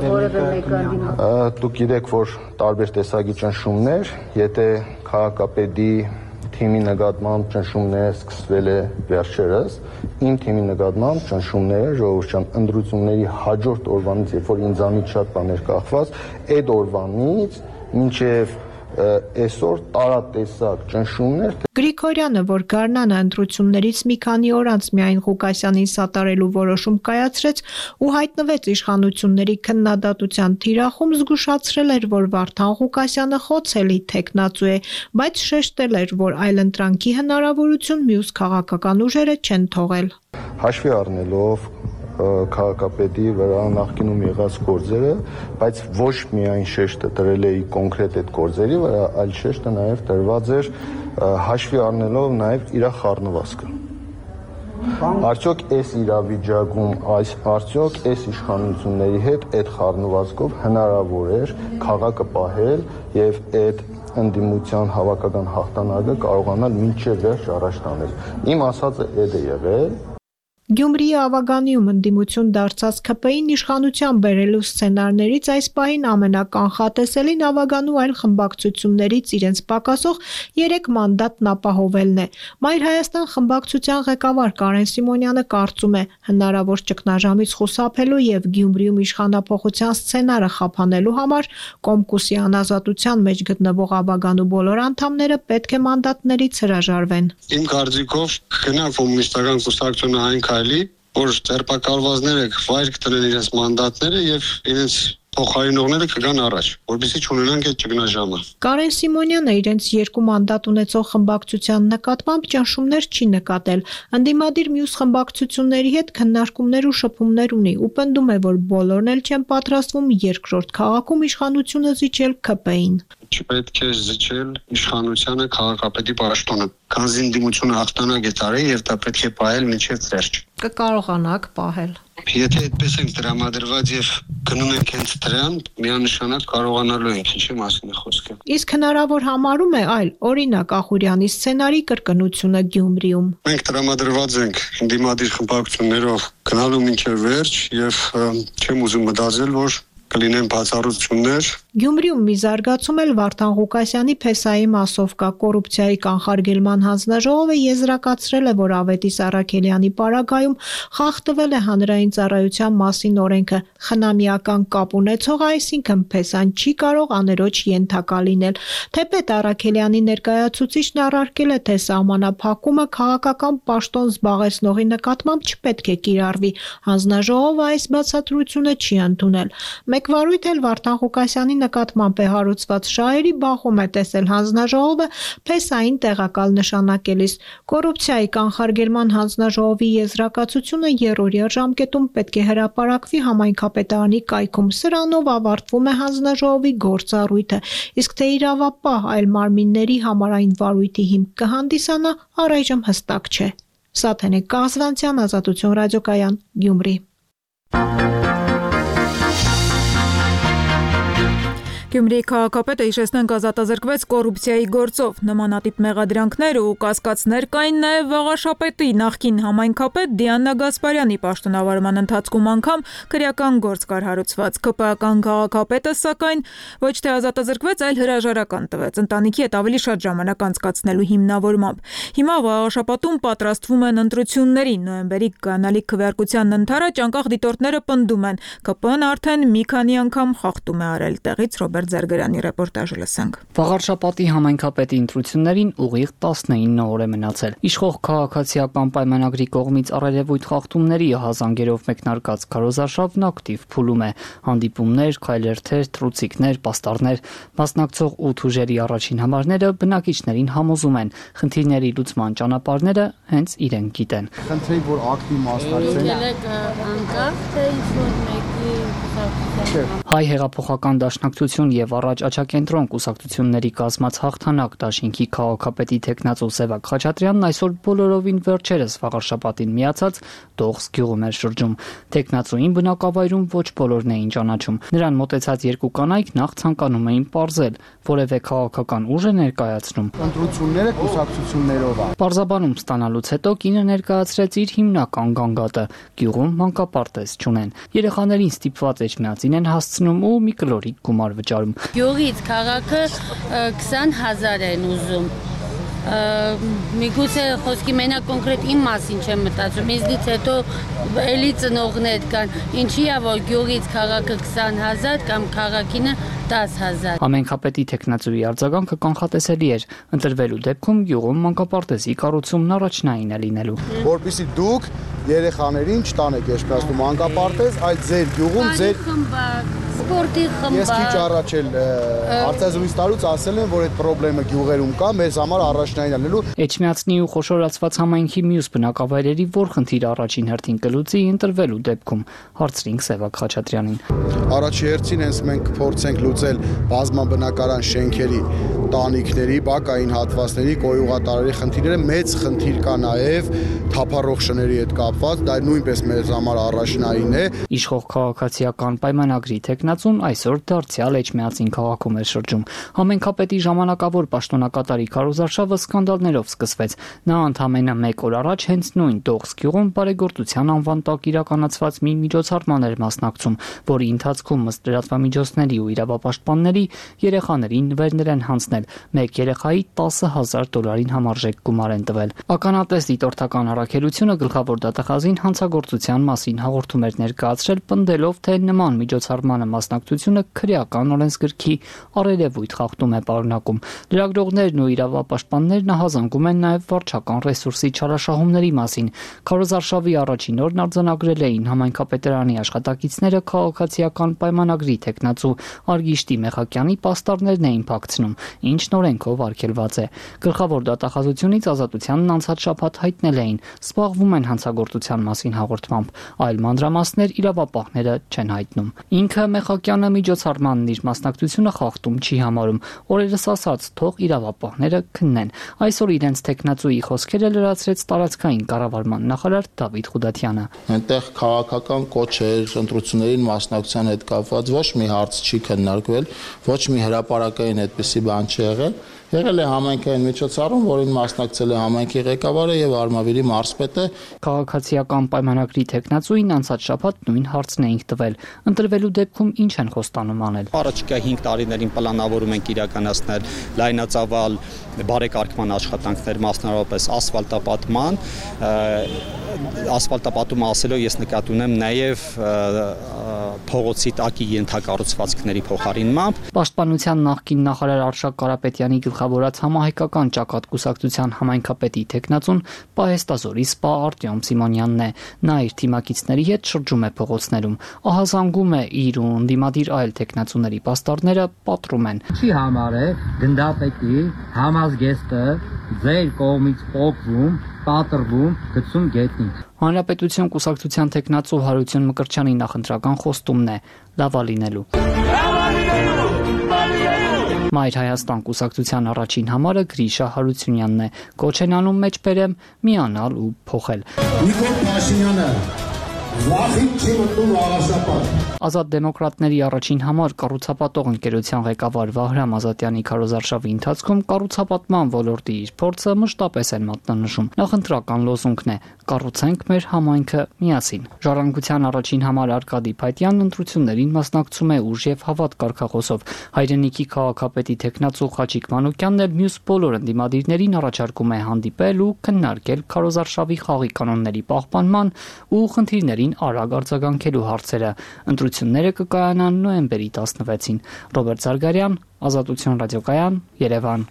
որևէ մեկը դուք գիտեք, որ տարբեր տեսակի ճնշումներ, եթե քաղաքապետի թիմի նկատմամբ ճնշումները սկսվել է վերջերս, իմ թիմի նկատմամբ ճնշումները ժողովրդական ընտրությունների հաջորդ օրվանից, երբ որ ինձանից շատ բաներ կախված, այդ օրվանից մինչև այսօր տարատեսակ ճնշումներ։ Գրիգորյանը, որ Գառնանը ընտրություններից մի քանի օր անց միայն Ղուկասյանին սատարելու որոշում կայացրեց ու հայտնվեց իշխանությունների քննադատության թիրախում, զգուշացրել էր, որ Վարդան Ղուկասյանը խոցելի թեկնածու է, բայց շեշտել էր, որ այլընտրանքի հնարավորություն մյուս քաղաքական ուժերը չեն թողել։ Հաշվի առնելով քաղաքապետի վրա նախկինում եղած գործերը, բայց ոչ միայն շեշտը դրել էի կոնկրետ այդ գործերի վրա, այլ շեշտը նաև դրված էր հաշվի առնելով նաև իր խառնվածքը։ Արդյոք այս իրավիճակում, արդյոք այս իշխանությունների հետ այդ խառնվածքով հնարավոր էր քաղաքը պահել եւ այդ ընդդիմության հավաքական հաղթանակը կարողանալ մինչև վերջ առաջ տանել։ Իմ ասածը այդ է եղել։ Գյումրիի ավագանիում ընդդիմություն դարձած ՔՊ-ին իշխանության բերելու սցենարներից այս պահին ամենականխատեսելին ավագանու այլ խմբակցություններից իրենց պակասող 3 մանդատն ապահովելն է։ Մայր Հայաստան խմբակցության ղեկավար Կարեն Սիմոնյանը կարծում է, հնարավոր ճգնաժամից խուսափելու եւ Գյումրիում իշխանափոխության սցենարը խափանելու համար Կոմկուսի անազատության մեջ գտնվող ավագանու բոլոր անդամները պետք է մանդատներից հրաժարվեն։ Իմ կարծիքով գնա կոմունիստական կուսակցությունը այն քայլի, որ ձերբակալվածները վայր կտնեն իրենց մանդատները եւ իրենց փոխարինողները կգան առաջ, որովհետեւ չունենանք այդ ճգնաժամը։ Կարեն Սիմոնյանը իրենց 2 մանդատ ունեցող խմբակցության նկատմամբ ճնշումներ չի նկատել։ Ընդդիմադիր մյուս խմբակցությունների հետ քննարկումներ ու շփումներ ունի ու պնդում է, որ բոլորն էլ չեն պատրաստվում երկրորդ քաղաքում իշխանությունը զիջել ՔՊ-ին։ Չպետք է զիջել իշխանությանը քաղաքապետի պաշտոնը։ Քանզի ընդդիմությունը հաղթանակ է տարել եւ դա պետք է պահել մինչեւ վերջ։ Կկարողանաք պահել։ Եթե այդպես ենք տրամադրված եւ գնում ենք հենց դրան, միանշանակ կարողանալու ենք, ինչի մասին է խոսքը։ Իսկ հնարավոր համարում է այլ, օրինակ Ախուրյանի սցենարի կրկնությունը Գյումրիում։ Մենք տրամադրված ենք ընդդիմադիր խմբակցություններով գնալու մինչև վերջ եւ չեմ ուզում մտածել, որ կլինեն բացառություններ Գյումրիում մի զարգացում էլ Վարդան Ղուկասյանի փեսայի մասով կա։ Կոռուպցիայի կանխարգելման հանձնաժողովը եզրակացրել է, որ Ավետիս Առաքելյանի պարագայում խախտվել է հանրային ծառայության մասին օրենքը։ Խնամիական կապ ունեցողը, այսինքն փեսան չի կարող աներոջ ենթակա լինել։ Թեպետ Առաքելյանի ներկայացուցիչն առարկել է, թե սահմանափակումը քաղաքական պաշտոն զբաղեցնողի նկատմամբ չպետք է կիրառվի։ Հանձնաժողովը այս բացատրությունը չի ընդունել։ Մեկ վարույթ էլ Վարդան Ղուկասյանի նկատմամբ է հարուցված շահերի բախում է տեսել հանձնաժողովը փեսային տեղակալ նշանակելիս։ Կոռուպցիայի կանխարգելման հանձնաժողովի եզրակացությունը երրորդյա ժամկետում պետք է հրապարակվի համայնքապետարանի կայքում։ Սրանով ավարտվում է հանձնաժողովի գործառույթը, իսկ թե իրավապահ այլ մարմինների համար այն վարույթի հիմք կհանդիսանա, առայժմ հստակ չէ։ Սաթենե Կազվանցյան, Ազատություն ռադիոկայան, Գյումրի։ Գյումրիի քաղաքապետը հիշեցնենք ազատազրկվեց կոռուպցիայի գործով։ Նմանատիպ մեղադրանքներ ու կասկածներ կային նաև Վաղաշապետի նախկին համայնքապետ Դիանա Գասպարյանի պաշտոնավարման ընթացքում անգամ քրեական գործ կար հարուցված։ ԿՊԱ-կան քաղաքապետը, սակայն ոչ թե ազատազրկվեց, այլ հրաժարական տվեց ընտանիքի հետ ավելի շատ ժամանակ անցկացնելու հիմնավորմամբ։ Հիմա Վաղաշապատում պատրաստվում են ընտրությունների։ Նոյեմբերի կանալիք քվեարկության ընթരാճ անկախ դիտորդները պնդում են, ԿՊ-ն արդեն մի քանի անգամ խախտում է արել։ Տեղից Ռոբերտ Զարգարյանի ռեպորտաժը լսենք։ Վաղարշապատի համայնքապետի ընտրություններին ուղիղ 19 օր է մնացել։ Իշխող քաղաքացիական պայմանագրի կողմից առերևույթ խախտումների հազանգերով մեկնարկած քարոզարշավն ակտիվ փուլում է։ Հանդիպումներ, քայլերթեր, թռուցիկներ, պաստառներ, մասնակցող 8 ուժերի առաջին համարները բնակիչներին համոզում են, խնդիրների լուծման ճանապարհները հենց իրենք գիտեն։ Խնդրեի, որ ակտիվ մասնակցեն։ Հայ հեղափոխական դաշնակցություն եւ առաջ աչակենտրոն կուսակցությունների կազմած հաղթանակ դաշինքի քաղաքապետի տեխնացու Սևակ Խաչատրյանն այսօր բոլորովին վերջերս Վաղարշապատին միացած Դողս գյուղում էր շրջում։ Տեխնացուին բնակավայրում ոչ բոլորն էին ճանաչում։ Նրան մոտեցած երկու կանայք նախ ցանկանում էին պարզել, որևէ քաղաքական ուժ է ներկայացնում։ Ընտրությունները կուսակցություններով է։ Պարզաբանում ստանալուց հետո կինը ներկայացրեց իր հիմնական գանգատը։ Գյուղում մանկապարտեզ չունեն։ Երեխաներին ստիպված էջմիածին են հասցնում ու մի կլորիկ գումար վճարում։ Գյուղից քաղաքը 20,000 են ուզում։ Միգուցե խոսքի մենակ կոնկրետ իմ մասին չեմ մտածում, ինձնից հետո էլի ծնողներ կան, ինչի է որ գյուղից քաղաքը 20,000 կամ քաղաքինը 10,000։ Համայնքապետի տեխնացուի արձագանքը կանխատեսելի էր։ Ընտրվելու դեպքում գյուղում մանկապարտեզի կառուցումն առաջնային է լինելու։ Որպեսզի դուք երեխաներին չտանեք երաշտում մանկապարտեզ, այլ ձեր գյուղում ձեր սպորտի խմբակ։ Ես քիչ առաջ էլ հարցազրույց տալուց ասել են, որ այդ խնդրեմը գյուղերում կա, մեզ համար առաջնային լինելու։ Էջմիածնի ու խոշորացված համայնքի մյուս բնակավայրերի որ խնդիրը առաջին հերթին կլուծի ընտրվելու դեպքում, հարցրինք Սևակ Խաչատրյանին։ Առաջի հերթին հենց մենք փորձենք լուծել բազմաբնակարան շենքերի, տանիքների, բակային հատվածների, կոյուղատարերի խնդիրները, մեծ խնդիր կա նաև թափառող շների հետ կապված, դա նույնպես մեզ համար առաջնային է։ Իշխող քաղաքացիական պայմանագրի տեխնացուն այսօր դարձյալ Էջմիածին քաղաքում է շրջում։ Համայնքապետի ժամանակավոր պաշտոնակատարի քարոզարշավը սկանդալներով սկսվեց։ Նա ընդամենը 1 օր առաջ հենց նույն Դողս գյուղում բարեգործության անվան տակ իրականացված մի միջոցառման էր մասնակցում, որի ընթացքում ըստ լրատվամիջոցների ու իրավապաշտպանների երեխաներին նվերներ են հանձնել։ Մեկ երեխայի $10,000 համարժեք գումար են տվել։ Ականատես դիտորդական առաքելությունը գլխավոր դատախազին հանցագործության մասին հաղորդում էր ներկայացրել, պնդելով, թե նման միջոցառմանը մասնակցությունը քրեական օրենսգրքի առերևույթ խախտում է պարունակում։ Լրագրողներն ու իրավապաշտպաններն հազանգում են նաև վարչական ռեսուրսի չարաշահումների մասին։ Քարոզարշավի առաջին օրն արձանագրել էին համայնքապետարանի աշխատակիցները քաղաքացիական պայմանագրի տեխնացու Արգիշտի Մեխակյանի պաստառներն էին փակցնում, ինչն օրենքով արգելված է։ Գլխավոր դատախազությունից ազատությանն անցած շաբաթ հայտնել էին, սպառվում են հանցագործության մասին հաղորդմամբ, այլ մանրամասներ իրավապահները չեն հայտնում։ Ինքը Մեխակյանը միջոցառմանն իր մասնակցությունը խախտում չի համարում, օրերս ասաց, թող իրավապահները քննեն։ Այսօր իրենց տեխնացուի խոսքերը լրացրեց տարածքային կառավարման նախարար Դավիթ Խուդատյանը։ Այնտեղ քաղաքական կոչեր, ընտրություններին մասնակցության հետ կապված ոչ մի հարց չի քննարկվել, ոչ մի հրապարակային այդպիսի բան չի եղել։ Եղել է համայնքային միջոցառում, որին մասնակցել է համայնքի ղեկավարը եւ Արմավիրի մարզպետը։ Քաղաքացիական պայմանագրի տեխնացուին անցած շաբաթ նույն հարցն էինք տվել։ Ընտրվելու դեպքում ինչ են խոստանում անել։ Առաջիկա 5 տարիներին պլանավորում ենք իրականացնել լայնածավալ բարեկարգման աշխատանքներ, մասնավորապես ասֆալտապատման, ասֆալտապատումը ասելով ես նկատի ունեմ նաև փողոցի տակի ենթակառուցվածքների փոխարինմամբ։ Պաշտպանության նախկին նախարար Արշակ Կարապետյանի գլխավորած համահայկական ճակատ կուսակցության համայնքապետի տեխնացուն Պահեստազորի սպա Արտյոմ Սիմոնյանն է։ Նա իր թիմակիցների հետ շրջում է փողոցներում, ահազանգում է իր ու ընդդիմադիր այլ տեխնացուների պաստառները, պատռում են։ Չի համար է գնդապետի համազգեստը ձեր կողմից փոխվում, պատրվում, գցում գետնին։ Հանրապետություն կուսակցության տեխնացու Հարություն Մկրտչյանի նախընտրական խոստումն է լավա լինելու։ Մայր Հայաստան կուսակցության առաջին համարը Գրիշա Հարությունյանն է։ Կոչ են անում մեջբերեմ միանալ ու փոխել։ Նիկոլ Փաշինյանը վախին չի մտնում աղաշապատ։ Ազատ դեմոկրատների առաջին համար կառուցապատող ընկերության ղեկավար Վահրամ Ազատյանի քարոզարշավի ընթացքում կառուցապատման ոլորտի իր փորձը մշտապես են մատնանշում։ Նախընտրական լոզունգն է՝ կառուցենք մեր համայնքը միասին։ Ժառանգության առաջին համար Արկադի Փայտյանն ընտրություններին մասնակցում է ուժ եւ հավատ կարգախոսով։ Հայրենիքի քաղաքապետի տեխնացու Խաչիկ Մանուկյանն էլ մյուս բոլոր ընդդիմադիրներին առաջարկում է հանդիպել ու քննարկել քարոզարշավի խաղի կանոնների պահպանման ու խնդիրներին արագ արձագանքելու հարցերը։ Ընտրությունները կկայանան նոյեմբերի 16-ին։ Ռոբերտ Զարգարյան, Ազատություն ռադիոկայան, Երևան։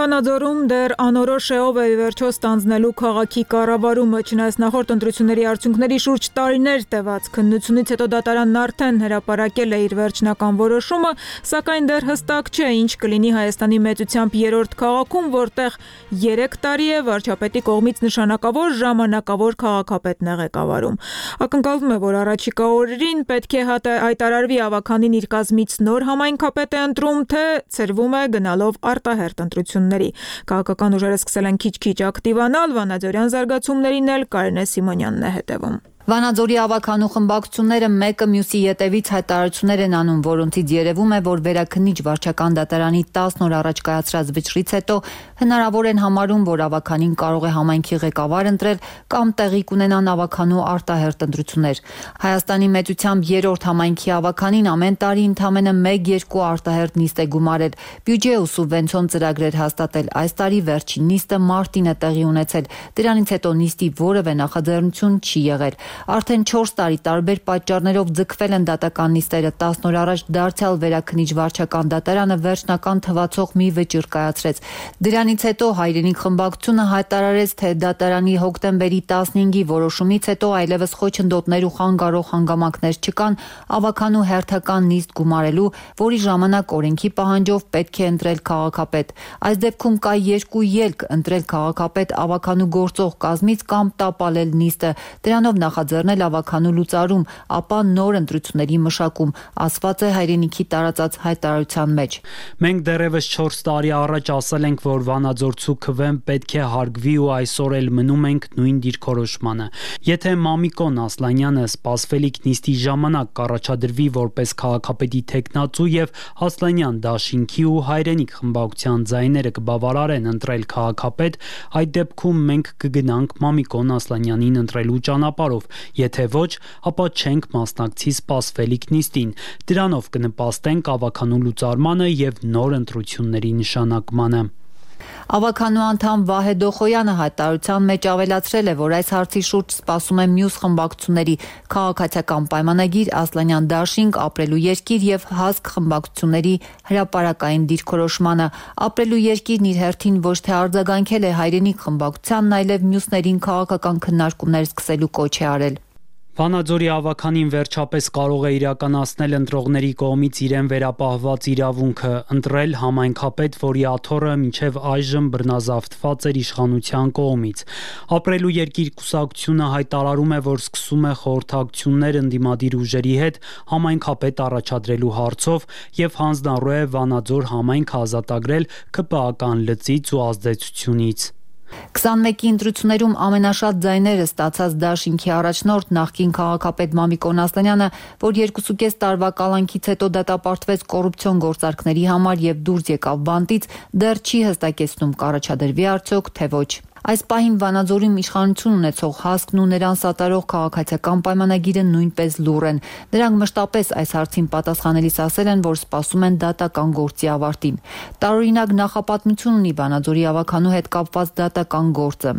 Վանաձորում դեռ անորոշ է ով է վերջո ստանձնելու քաղաքի կառավարումը, չնայած նախորդ ընտրությունների արդյունքների շուրջ տարիներ տևած քննությունից հետո դատարանն արդեն հրապարակել է իր վերջնական որոշումը, սակայն դեռ հստակ չէ ինչ կլինի Հայաստանի մեծությամբ երրորդ քաղաքում, որտեղ 3 տարի է վարչապետի կողմից նշանակավոր ժամանակավոր քաղաքապետն է ղեկավարում։ Ակնկալվում է, որ առաջիկա օրերին պետք է հայտարարվի ավականին իր կազմից նոր համայնքապետ է ընտրում, թե ցրվում է գնալով արտահերթ ընտրությունների։ Քաղաքական ուժերը սկսել են քիչ-քիչ ակտիվանալ, վանաձորյան զարգացումներին էլ Կարինե Սիմոնյանն է հետևում։ Վանաձորի ավականու խմբակցությունները մեկը մյուսի ետևից հայտարարություններ են անում, որոնցից երևում է, որ վերաքննիչ վարչական դատարանի 10 օր առաջ կայացրած վճռից հետո հնարավոր են համարում, որ ավականին կարող է համայնքի ղեկավար ընտրել կամ տեղի կունենան ավականու արտահերթ ընտրություններ։ Հայաստանի մեծությամբ երրորդ համայնքի ավականին ամեն տարի ընդամենը 1-2 արտահերթ նիստ է գումարել, բյուջե ու սուբվենցիոն ծրագրեր հաստատել։ Այս տարի վերջին նիստը մարտին է տեղի ունեցել։ Դրանից հետո նիստի որևէ նախաձեռնություն չի եղել։ Արդեն 4 տարի տարբեր պատճառներով ձգվել են դատական նիստերը։ 10 օր առաջ դարձյալ վերաքննիչ վարչական դատարանը վերջնական թվացող մի վճիռ կայացրեց։ Դրանից հետո հայրենիք խմբակցությունը հայտարարեց, թե դատարանի հոկտեմբերի 15-ի որոշումից հետո այլևս խոչընդոտներ ու խանգարող հանգամանքներ չկան ավականու հերթական նիստ գումարելու, որի ժամանակ օրենքի պահանջով պետք է ընտրել քաղաքապետ։ Այս դեպքում կա 2 ելք՝ ընտրել քաղաքապետ ավականու գործող կազմից կամ տապալել նիստը։ Դրանով նախաձեռնել ավականու լուծարում, ապա նոր ընտրությունների մշակում, ասված է հայրենիքի տարածած հայտարարության մեջ։ Մենք դեռևս 4 տարի առաջ ասել ենք, որ Վանաձորցու քվեն պետք է հարգվի ու այսօր էլ մնում ենք նույն դիրքորոշմանը։ Եթե Մամիկոն Ասլանյանը սպասվելիք նիստի ժամանակ կառաջադրվի որպես քաղաքապետի տեխնացու եւ Ասլանյան դաշինքի ու հայրենիք խմբակցության ձայները կբավարարեն ընտրել քաղաքապետ, այդ դեպքում մենք կգնանք Մամիկոն Ասլանյանին ընտրելու ճանապարհով, եթե ոչ, ապա չենք մասնակցի սպասվելիք նիստին։ Դրանով կնպաստենք ավականու լուծարմանը եւ նոր ընտրությունների նշանակմանը։ Ավականու անդամ Վահե Դոխոյանը հայտարարության մեջ ավելացրել է, որ այս հարցի շուրջ սպասում է մյուս խմբակցությունների քաղաքացիական պայմանագիր, Ասլանյան դաշինք, ապրելու երկիր եւ հասկ խմբակցությունների հրապարակային դիրքորոշմանը։ Ապրելու երկիրն իր հերթին ոչ թե արձագանքել է հայրենիք խմբակցությանն, այլև մյուսներին քաղաքական քննարկումներ սկսելու կոչ է արել։ Վանաձորի ավականին վերջապես կարող է իրականացնել ընտրողների կողմից իրեն վերապահված իրավունքը ընտրել համայնքապետ, որի աթոռը մինչև այժմ բռնազավթված էր իշխանության կողմից։ Ապրելու երկիր կուսակցությունը հայտարարում է, որ սկսում է խորհրդակցություններ ընդդիմադիր ուժերի հետ համայնքապետ առաջադրելու հարցով եւ հանձնառու է Վանաձոր համայնքը ազատագրել ԿՊԱ-ական լծից ու ազդեցությունից։ 21-ի ընտրություններում ամենաշատ ձայները ստացած Դաշինքի առաջնորդ նախկին քաղաքապետ Մամիկոն Ասլանյանը, որ 2.5 տարվա կալանքից հետո դատապարտվեց կոռուպցիոն գործարքների համար եւ դուրս եկավ բանտից, դեռ չի հստակեցնում կառաջադրվի արդյոք թե ոչ։ Այս պահին Վանաձորում իշխանություն ունեցող ՀԱՍԿ-ն ու նրան սատարող քաղաքացիական պայմանագիրը նույնպես լուռ են։ Նրանք մշտապես այս հարցին պատասխանելիս ասել են, որ սպասում են դատական գործի ավարտին։ Տարօրինակ նախապատմություն ունի Վանաձորի ավականու հետ կապված դատական գործը։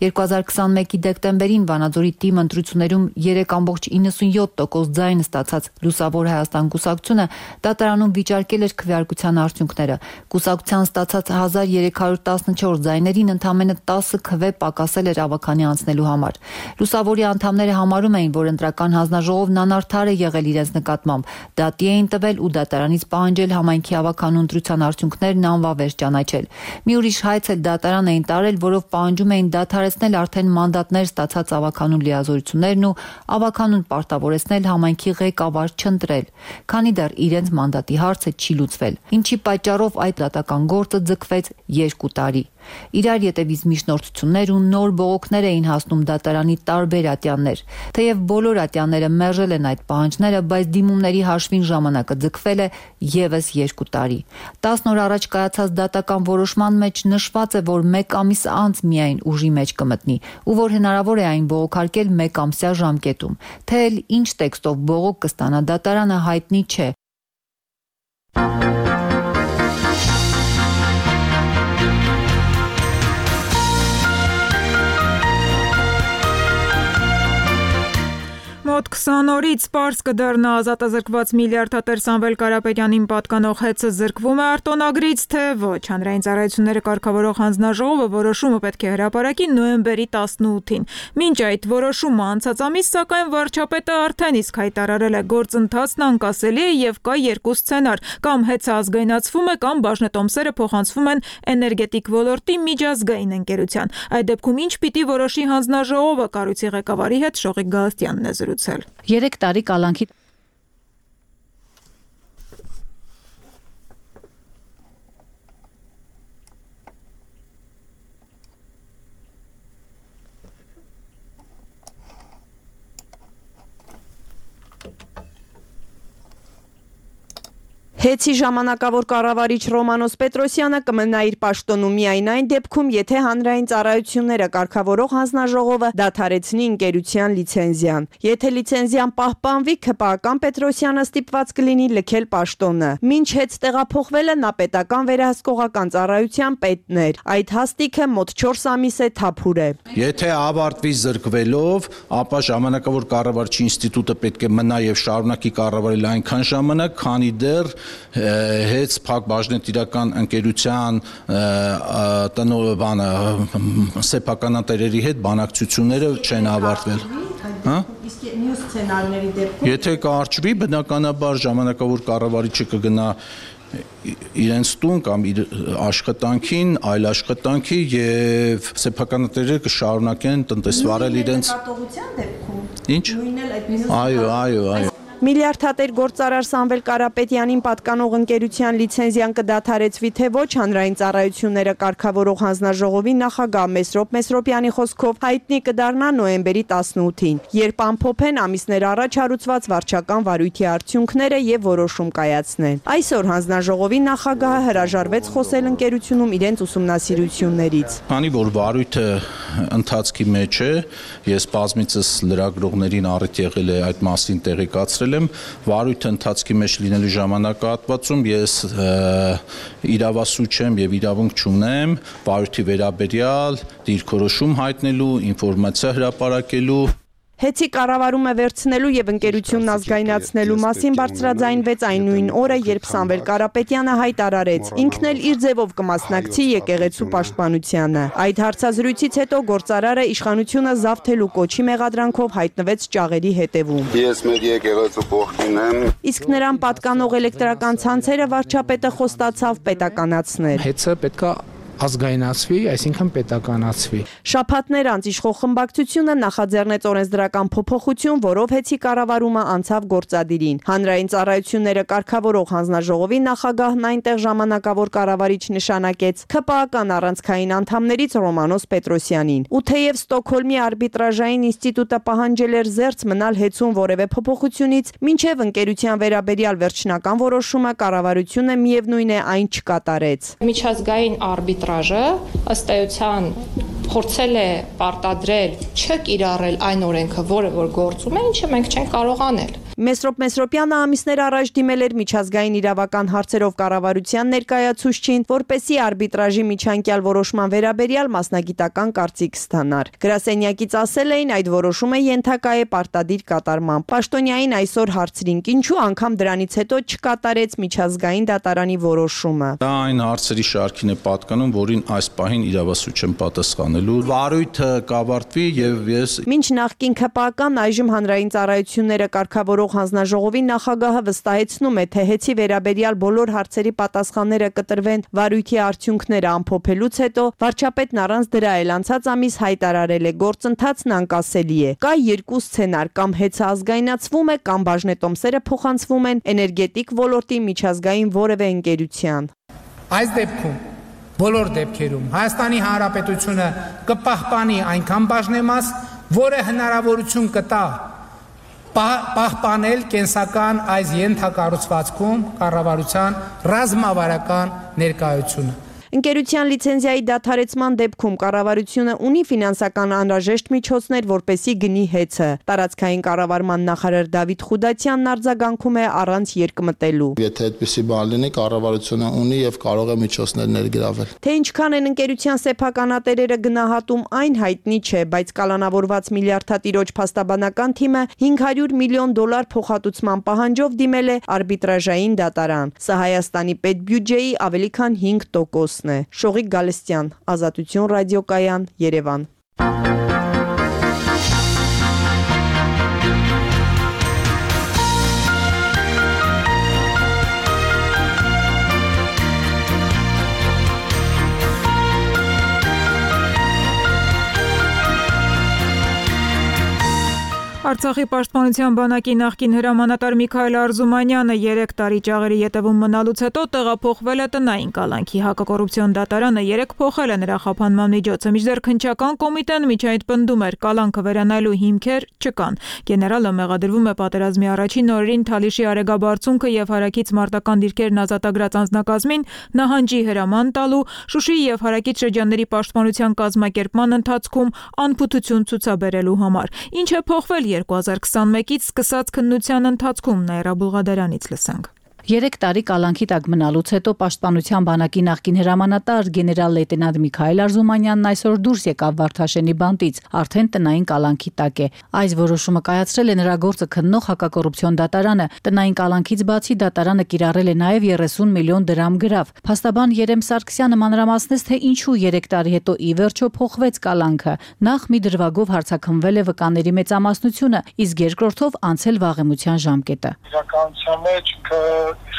2021-ի դեկտեմբերին Վանաձորի թիմ ընտրություններում 3.97% ձայն ստացած Լուսավոր Հայաստան կուսակցությունը դատարանում վիճարկել էր քվեարկության արդյունքները։ Կուսակցության ստացած 1314 ձայներին ընդամենը 10 քվե պակասել էր ավականի անցնելու համար։ Լուսավորի անդամները համարում էին, որ ընտրական հանձնաժողովն անարդար է եղել իրենց նկատմամբ, դատի էին տվել ու դատարանից պահանջել համայնքի ավականու ընտրության արդյունքներն անվավեր ճանաչել։ Մի ուրիշ հայց էլ դատարան էին տարել, որով պահանջում էին դադարեցնել արդեն մանդատներ ստացած ավականու լիազորություններն ու ավականուն պարտավորեցնել համայնքի ղեկավար չընտրել, քանի դեռ իրենց մանդատի հարցը չի լուծվել, ինչի պատճառով այդ դատական գործը ձգվեց 2 տարի։ Իրար ետևից միջնորդություններ ու նոր բողոքներ էին հասնում դատարանի տարբեր ատյաններ։ Թեև բոլոր ատյանները մերժել են այդ պահանջները, բայց դիմումների հաշվին ժամանակը ձգվել է եւս 2 տարի։ 10 օր առաջ կայացած դատական որոշման մեջ նշված է, որ 1 ամիս անց միայն ուժի մեջ կմտնի, ու որ հնարավոր է այն բողոքարկել 1 ամսյա ժամկետում։ Թե ինչ տեքստով բողոք կստանա դատարանը հայտնի չէ։ Մոտ 20 օրից պարզ կդառնա ազատազրկված միլիարդատեր Սամվել Կարապետյանին պատկանող հեծը զրկվում է արտոնագրից, թե ոչ։ Հանրային ծառայությունները կարգավորող հանձնաժողովը որոշումը պետք է հրապարակի նոյեմբերի 18-ին։ Մինչ այդ որոշումը անցած ամիս, սակայն վարչապետը արդեն իսկ հայտարարել է գործընթացն անկասելի է եւ կա 2 սցենար՝ կամ հեծը ազգայնացվում է, կամ բաժնետոմսերը փոխանցվում են էներգետիկ ոլորտի միջազգային ընկերության։ Այդ դեպքում ինչ պիտի որոշի հանձնաժողովը, կառույցի ղեկավարի հետ Շողիկ Գալստյանն է զրուցել։ 3 տարի կալանքի Հեծի ժամանակավոր կառավարիչ Ռոմանոս Պետրոսյանը կմնա իր պաշտոնում միայն այն դեպքում, եթե հանրային ծառայությունները կարգավորող հանձնաժողովը դադարեցնի ընկերության լիցենզիան։ Եթե լիցենզիան պահպանվի, ՔՊԱ-ական Պետրոսյանը ստիպված կլինի լքել պաշտոնը։ Մինչ հեծ տեղափոխվելը նա պետական վերահսկողական ծառայության պետն էր։ Այդ հաստիքը մոտ 4 ամիս է թափուր է։ Եթե ավարտվի զրկվելով, ապա ժամանակավոր կառավարչի ինստիտուտը պետք է մնա եւ շարունակի կառավարել այնքան ժամանակ, քանի դեռ հեծ փակ բաժնետիրական ընկերության սեփականատերերի հետ բանակցությունները չեն ավարտվել։ Իսկ մյուս սցենարների դեպքում եթե կարճվի, բնականաբար ժամանակավոր կառավարիչը կգնա իրենց տուն կամ իր աշխատանքին, այլ աշխատանքի եւ սեփականատերերը կշարունակեն տնտեսվարել իրենց դեպքում։ Ինչ։ Այո։ Միլիարդատեր գործարար Սամվել Կարապետյանին պատկանող ընկերության լիցենզիան կդադարեցվի թե ոչ, հանրային ծառայությունները կարգավորող հանձնաժողովի նախագահ Մեսրոպ Մեսրոպյանի խոսքով հայտնի կդառնա նոյեմբերի 18-ին, երբ ամփոփեն ամիսներ առաջ հարուցված վարչական վարույթի արդյունքները եւ որոշում կայացնեն։ Այսօր հանձնաժողովի նախագահը հրաժարվեց խոսել ընկերությունում իրենց ուսումնասիրություններից։ Քանի որ վարույթը ընթացքի մեջ է, ես բազմիցս լրագրողներին առիթ եղել է այդ մասին տեղեկացրել եմ, վարույթը ընթացքի մեջ լինելու ժամանակահատվածում ես իրավասու չեմ եւ իրավունք չունեմ վարույթի վերաբերյալ դիրքորոշում հայտնելու, ինֆորմացիա հրապարակելու։ Հեծի կառավարումը վերցնելու եւ ընկերությունն ազգայնացնելու մասին բարձրաձայնվեց այն նույն օրը, երբ Սամվել Կարապետյանը հայտարարեց. ինքն էլ իր ձևով կմասնակցի եկեղեցու պաշտպանությանը։ Այդ հարցազրույցից հետո գործարարը իշխանությունը զավթելու կոչի մեղադրանքով հայտնվեց ճաղերի հետևում։ Ես մեր եկեղեցու կողքին եմ։ Իսկ նրան պատկանող էլեկտրական ցանցերը վարչապետը խոստացավ պետականացնել։ Հեծը պետքա ազգայնացվի, այսինքն պետականացվի։ Շաբաթներ անց իշխող խմբակցությունը նախաձեռնեց օրենսդրական փոփոխություն, որով հեծի կառավարումը անցավ գործադիրին։ Հանրային ծառայությունները կարգավորող հանձնաժողովի նախագահն այնտեղ ժամանակավոր կառավարիչ նշանակեց ՔՊԱ-կան առանցքային անդամներից Ռոմանոս Պետրոսյանին։ Ու թեև Ստոկհոլմի արբիտրաժային ինստիտուտը պահանջել էր զերծ մնալ հեծուն որևէ փոփոխությունից, մինչև ընկերության վերաբերյալ վերջնական որոշումը կառավարությունը միևնույն է այն չկատարեց։ Միջազգային արբիտրաժը ըստ էության փորձել է պարտադրել չկիրառել այն օրենքը, որը որ գործում է, ինչը մենք չենք կարող անել։ Մեսրոպ Մեսրոպյանը ամիսներ առաջ դիմել էր միջազգային իրավական հարցերով կառավարության ներկայացուցչին, որպեսզի արբիտրաժի միջանկյալ որոշման վերաբերյալ մասնագիտական կարծիք ստանար։ Գրասենյակից ասել էին, այդ որոշումը ենթակա է պարտադիր կատարման։ Պաշտոնյային այսօր հարցրինք, ինչու անգամ դրանից հետո չկատարեց միջազգային դատարանի որոշումը։ Դա այն հարցերի շարքին է պատկանում, որին այս պահին իրավասու չեմ պատասխանելու։ Վարույթը կավարտվի եւ ես Մինչ նախկին ՔՊԱ-կան այժմ հանրային ծառայությունները կարգավորող հանձնաժողովի նախագահը վստահեցնում է, թե հեծի վերաբերյալ բոլոր հարցերի պատասխանները կտրվեն վարույթի արդյունքները ամփոփելուց հետո, վարչապետն առանց դրա էլ անցած ամիս հայտարարել է, գործընթացն անկասելի է։ Կա երկու սցենար, կամ հեծը ազգայնացվում է, կամ բաժնետոմսերը փոխանցվում են էներգետիկ ոլորտի միջազգային որևէ ընկերության։ Այս դեպքում բոլոր դեպքերում Հայաստանի Հանրապետությունը կպահպանի այնքան բաժնեմաս, որը հնարավորություն կտա պահպանել կենսական այս ենթակառուցվածքում կառավարության ռազմավարական ներկայությունը։ Ընկերության լիցենզիայի դադարեցման դեպքում կառավարությունը ունի ֆինանսական անհրաժեշտ միջոցներ, որպեսզի գնի հեծը։ Տարածքային կառավարման նախարար Դավիթ Խուդացյանն արձագանքում է առանց երկմտելու։ Եթե այդպիսի բան լինի, կառավարությունը ունի եւ կարող է միջոցներ ներգրավել։ Թե ինչքան են ընկերության սեփականատերերը գնահատում, այն հայտնի չէ, բայց կալանավորված միլիարդատիրոջ փաստաբանական թիմը $500 միլիոն փոխհատուցման պահանջով դիմել է արբիտրաժային դատարան։ Սա Հայաստանի պետբյուջեի ավելի քան 5% Շողիկ Գալստյան, Ազատություն ռադիոկայան, Երևան։ Արցախի պաշտպանության բանակի նախկին հրամանատար Միքայել Արզումանյանը 3 տարի ճաղերի ետևում մնալուց հետո տեղափոխվել է տնային կալանքի։ Հակակոռուպցիոն դատարանը 3 փոխել է նրա խափանման միջոցը, մինչդեռ քննչական կոմիտեն միջայդ պնդում էր, կալանքը վերանայելու հիմքեր չկան։ Գեներալը մեղադրվում է պատերազմի առաջին օրերին Թալիշի արեգաբարձունքը եւ հարակից մարտական դիրքերն ազատագրած անձնակազմին նահանջի հրաման տալու, Շուշիի եւ հարակից շրջանների պաշտպանության կազմակերպման ընթացքում անփութություն ցուցաբերելու համար։ Ինչ է փոխվել 2021-ից սկսած քննության ընթացքում Նաիրա Բուլղադարյանից լսենք։ 3 տարի կալանքի տակ մնալուց հետո պաշտպանության բանակի նախկին հրամանատար գեներալ լեյտենանտ Միքայել Արզումանյանն այսօր դուրս եկավ Վարդաշենի բանտից, արդեն տնային կալանքի տակ է։ Այս որոշումը կայացրել է նրա գործը քննող հակակոռուպցիոն դատարանը։ Տնային կալանքից բացի դատարանը կիրառել է նաև 30 միլիոն դրամ գրավ։ Փաստաբան Երեմ Սարգսյանը մանրամասնեց, թե ինչու 3 տարի հետո ի վերջո փոխվեց կալանքը։ Նախ մի դրվագով հարցաքննվել է վկաների մեծամասնությունը, իսկ երկրորդով անցել վաղեմության ժամկետը։ Իրականության մեջ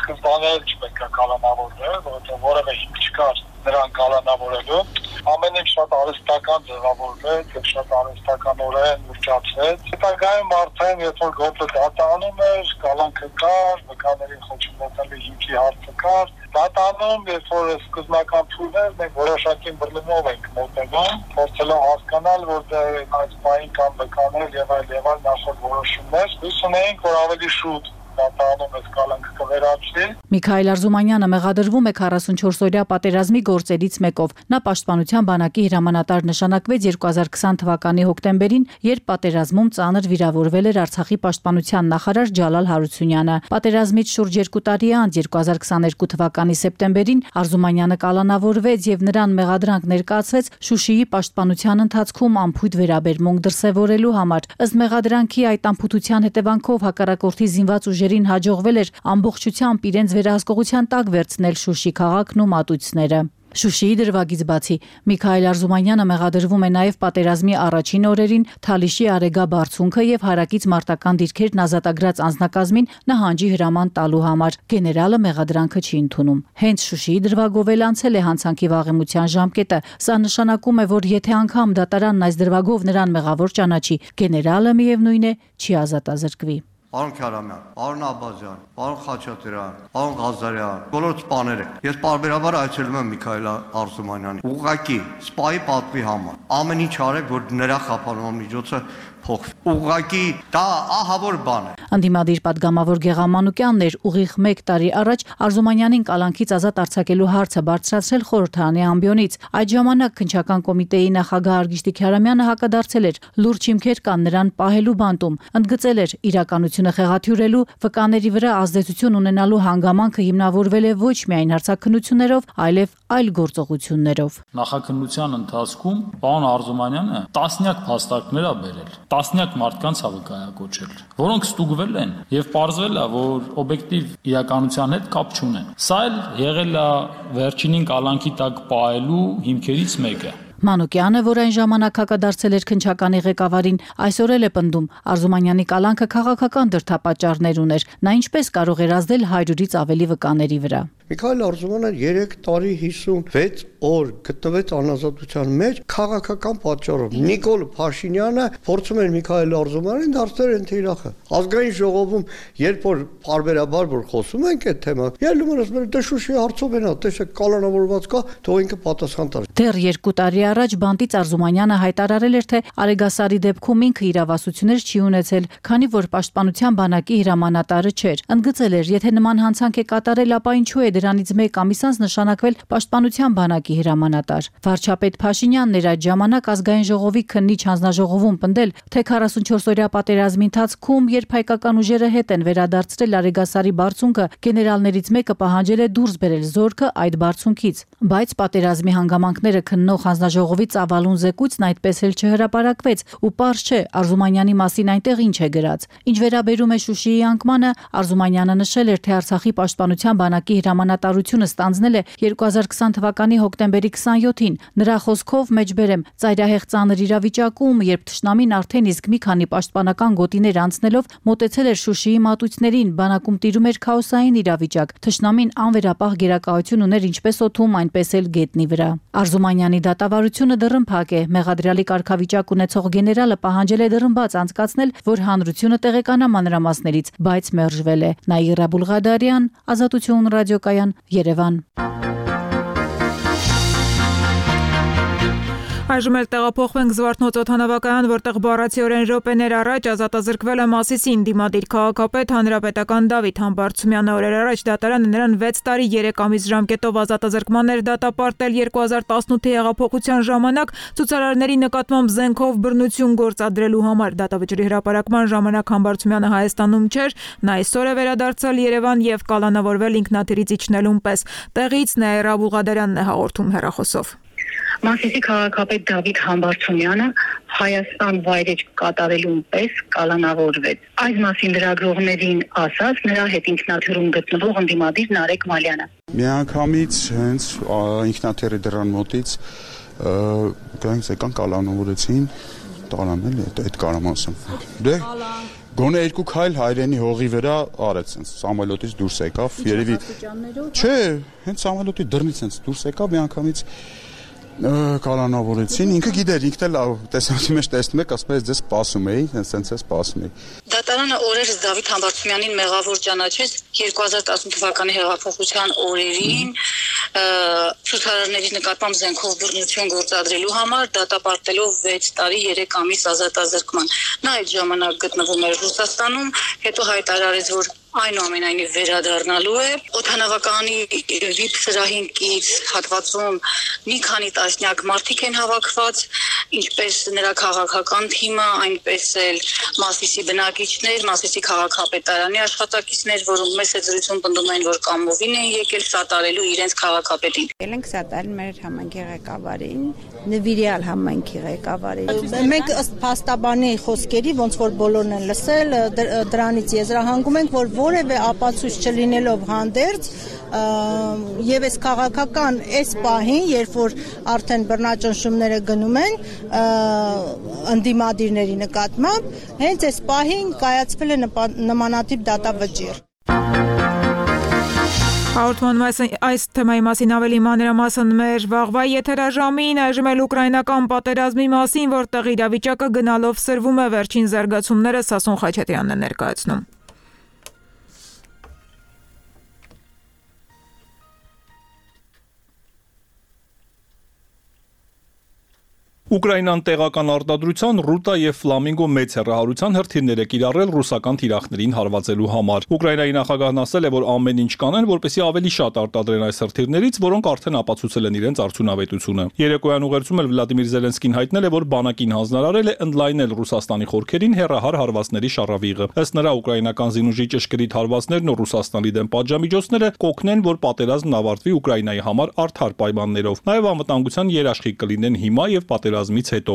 սկզբանե չպետք է կալանավորվել, որովհետև որևէ հիմք չկար նրան կալանավորելու։ Ամեն ինչ շատ արհեստական ձևավորվեց եւ շատ արհեստականորեն ուղղացվեց։ Հետագայում արդեն երբ որ գործը դատանում էր, կալանքը կար, վկաներին խոչընդոտելու հիմքի հարցը կար։ Դատանում, երբ որ սկզբնական փուլներ մենք որոշակի բռնումով ենք մոտենում, փորձելով հասկանալ, որ այս բանի կան վկաներ եւ այլ նախորդ որոշումներ, հույս ունենք, որ ավելի շուտ դատարանում է կալանքը կվերացվի։ Միքայել Արզումանյանը մեղադրվում է 44-օրյա պատերազմի գործերից մեկով։ Նա պաշտպանության բանակի հրամանատար նշանակվեց 2020 թվականի հոկտեմբերին, երբ պատերազմում ծանր վիրավորվել էր Արցախի պաշտպանության նախարար Ջալալ Հարությունյանը։ Պատերազմից շուրջ 2 տարի անց 2022 թվականի սեպտեմբերին Արզումանյանը կալանավորվեց եւ նրան մեղադրանք ներկայացվեց Շուշիի պաշտպանության ընթացքում անփույթ վերաբերմունք դրսևորելու համար։ Ըստ մեղադրանքի այդ անփութության հետևանքով հակառակորդի զինված ուժերին հաջողվել էր ամբողջությամբ իրենց վերահսկողության տակ վերցնել Շուշի քաղաքն ու մատույցները։ Շուշիի դրվագից բացի Միքայել Արզումանյանը մեղադրվում է նաև պատերազմի առաջին օրերին Թալիշի Արեգա բարձունքը եւ հարակից մարտական դիրքերն ազատագրած անձնակազմին նահանջի հրաման տալու համար։ Գեներալը մեղադրանքը չի ընդունում։ Հենց Շուշիի դրվագով էլ անցել է հանցանքի վաղեմության ժամկետը։ Սա նշանակում է, որ եթե անգամ դատարանն այս դրվագով նրան մեղավոր ճանաչի, գեներալը միևնույն է չի ազատազրկվի։ Պարոն Քյարամյան, պարոն Աբազյան, պարոն Խաչատրյան, պարոն Ղազարյան, բոլոր սպաները։ Ես պարբերաբար այցելում եմ Միքայել Արզումանյանին։ Ուղղակի սպայի պատվի համար ամեն ինչ արեք, որ նրա խափանման միջոցը փոխվի։ Ուղղակի դա ահավոր բան է։ Անդիմադիր падգամավոր Գեղամ Մանուկյանն էր ուղիղ 1 տարի առաջ Արզումանյանին կալանքից ազատ արձակելու հարցը բարձրացրել խորհրդարանի ամբիոնից։ Այդ ժամանակ քննչական կոմիտեի նախագահ Արգիշտի Քյարամյանը հակադարձել էր։ Լուրջ հիմքեր կան նրան պահելու բանտում։ Ընդգծել էր իրականությունը խեղաթյուրելու, վկաների վրա ազդեցություն ունենալու հանգամանքը հիմնավորվել է ոչ միայն հարցաքննություններով, այլև այլ գործողություններով։ Նախաքննության ընթացքում պարոն Արզումանյանը տասնյակ փաստարկներ ա բերել, տասնյակ մարդկանց ա վկայակոչել, որոնք ստուգվել են եւ պարզվել է, որ օբյեկտիվ իրականության հետ կապ չունեն։ Սա էլ եղել է վերջինին կալանքի տակ պահելու հիմքերից մեկը։ Մանուկյանը, որ այն ժամանակ հակադարձել էր քննչականի ղեկավարին, այսօր էլ է պնդում Արզումանյանի կալանքը քաղաքական դրդապատճառներ ուներ։ Նա ինչպես կարող էր ազդել 100-ից ավելի վկաների վրա։ Միքայել Արզումանյանը 3 տարի 56 օր գտնվեց անազատության մեջ քաղաքական պատճառով։ Նիկոլ Փաշինյանը փորձում էր Միքայել Արզումանյանին դարձնել ընթերախը։ Ազգային ժողովում երբ որ բարբերաբար որ խոսում ենք այդ թեմա, ելնում են ասում դե Շուշի հարցով են, տեսեք կալանավորված կա, թող ինքը պատասխան տա։ Դեռ 2 տարի առաջ բանտից Արզումանյանը հայտարարել էր, թե Արեգասարի դեպքում ինքը իրավասություններ չի ունեցել, քանի որ պաշտպանության բանակի հրամանատարը չէր։ Ընդգծել էր, եթե նման հանցանք է կատարել, ապա ինչու է դրանից 1 ամիս անց նշանակվել պաշտպանության բանակի հրամանատար։ Վարչապետ Փաշինյանն էր այդ ժամանակ ազգային ժողովի քննիչ հանձնաժողովում պնդել, թե 44-օրյա պատերազմի ընթացքում, երբ հայկական ուժերը հետ են վերադարձրել Արեգասարի բարձունքը, գեներալներից մեկը պահանջել է դուրս բերել զորքը այդ բարձունքից։ Բայց պատերազմի հանգամանքները քննող հանձնաժողովի ծավալուն զեկույցն այդպես էլ չհրապարակվեց, ու պարզ չէ Արզումանյանի մասին այնտեղ ինչ է գրած։ Ինչ վերաբերում է Շուշիի անկմանը, Արզումանյանը նշել էր, թե Արցախի պաշտպանության բանակի հրամանատարությունը ստանձնել է 2020 թվականի հոկտեմբերի 27-ին։ Նրա խոսքով մեջբերեմ ծայրահեղ ծանր իրավիճակում, երբ թշնամին արդեն իսկ մի քանի պաշտպանական գոտիներ անցնելով մոտեցել էր Շուշիի մատույցներին, բանակում տիրում էր քաոսային իրավիճակ։ Թշնամին անվերապահ գերակայություն ուներ ինչպես օդում, այնպես էլ գետնի վրա։ Արզումանյանի դատավարությունը դռնփակ է։ Մեղադրյալի կարգավիճակ ունեցող գեներալը պահանջել է դռնբաց անցկացնել, որ հանրությունը տեղեկանա մանրամասներից, բայց մերժվել է։ Նաիրա Բուլղադարյան, Ազատություն ռադիոկայան, Երևան։ Այժմ էլ տեղափոխվենք Զվարթնոց օդանավակայան, որտեղ բառացիորեն րոպեներ առաջ ազատազրկվել է Մասիսի ընդդիմադիր քաղաքապետ հանրապետական Դավիթ Համբարձումյանը։ Օրեր առաջ դատարանը նրան 6 տարի 3 ամիս ժամկետով ազատազրկման էր դատապարտել 2018-ի հեղափոխության ժամանակ ցուցարարների նկատմամբ զենքով բռնություն գործադրելու համար։ Դատավճռի հրապարակման ժամանակ Համբարձումյանը Հայաստանում չէր, նա այսօր է վերադարձել Երևան եւ կալանավորվել ինքնաթիռից իջնելուն պես։ Տեղից Նաիրա Բուլղադարյանն է հաղորդում հեռախոսով։ Մասիսի քաղաքապետ Դավիթ Համբարձումյանը Հայաստան վայրեջք կատարելուն պես կալանավորվեց։ Այս մասին լրագրողներին ասաց նրա հետ ինքնաթիռում գտնվող ընդդիմադիր Նարեկ Մալյանը։ Միանգամից հենց ինքնաթիռի դռան մոտից եկան կալանավորեցին, տարան էլի այդ կարամ ասեմ։ Դե գոնե 2 քայլ հայրենի հողի վրա արեց, sense Սամուելոտից դուրս եկավ, երևի չէ, հենց Սամուելոտի դռնից sense դուրս եկավ միանգամից կալանավորեցին, ինքը գիտեր, ինքն էլ տեսանքի մեջ տեսնում եք, ասում է ձեզ սպասում էի, հենց է սպասում էի։ Դատարանը օրերս Դավիթ Համբարձումյանին մեղավոր ճանաչեց 2018 թվականի հեղափոխության օրերին ցուցարարների նկատմամբ զենքով բռնություն գործադրելու համար դատապարտելով 6 տարի 3 ամիս ազատազրկման։ Նա այդ ժամանակ գտնվում էր Ռուսաստանում, հետո հայտարարեց, որ այնուամենայնիվ վերադառնալու է։ Օդանավականի VIP սրահին կից հատվածում մի քանի տասնյակ մարդիկ են հավաքված, ինչպես նրա քաղաքական թիմը, այնպես էլ Մասիսի բնակիչներ, Մասիսի քաղաքապետարանի աշխատակիցներ, որոնք մեծ զրույցում պնդում են, որ կամովին են եկել սատարելու իրենց քաղաքապետին։ Եկել ենք սատարել մեր համայնքի ղեկավարին, նվիրյալ համայնքի ղեկավարին։ Մենք ըստ փաստաբանի խոսքերի, ոնց որ բոլորն են լսել, դրանից եզրահանգում ենք, որ որևէ ապացույց չլինելով հանդերձ եւ այս քաղաքական այս պահին, երբ որ արդեն բռնաճնշումները գնում են ընդդիմադիրների նկատմամբ, հենց այս պահին կայացվել է նմանատիպ դատավճիռ։ Հաղորդման այս թեմայի մասին ավելի մանրամասն մեր վաղվա եթերաժամին, այժմ էլ ուկրաինական պատերազմի մասին, որտեղ իրավիճակը գնալով սրվում է, վերջին զարգացումները Սասուն Խաչատրյանն է ներկայացնում։ Ուկրաինան տեղական արտադրության ռուտա եւ ֆլամինգո մեծ հեռահարության հրթիռներ է կիրառել ռուսական թիրախներին հարվածելու համար։ Ուկրաինայի նախագահն ասել է, որ ամեն ինչ կանեն, որպեսզի ավելի շատ արտադրեն այս հրթիռներից, որոնք արդեն ապացուցել են իրենց արդյունավետությունը։ Երեկոյան ուղերձում էլ Վլադիմիր Զելենսկին հայտնել է, որ բանակին հանձնարարել է ընդլայնել Ռուսաստանի խորքերին հեռահար հարվածների շարավիղը։ Ըստ նրա, ուկրաինական զինուժի ճշգրիտ հարվածներն ու Ռուսաստանի դեմ պատժամիջոցները կօգնեն, որ պատերազմն ավարտվի Ուկրաինայի համար արդար պայմաններով։ Նաև անվտանգության երաշխիք կլինեն հիմա եւ պատերազմից հետո։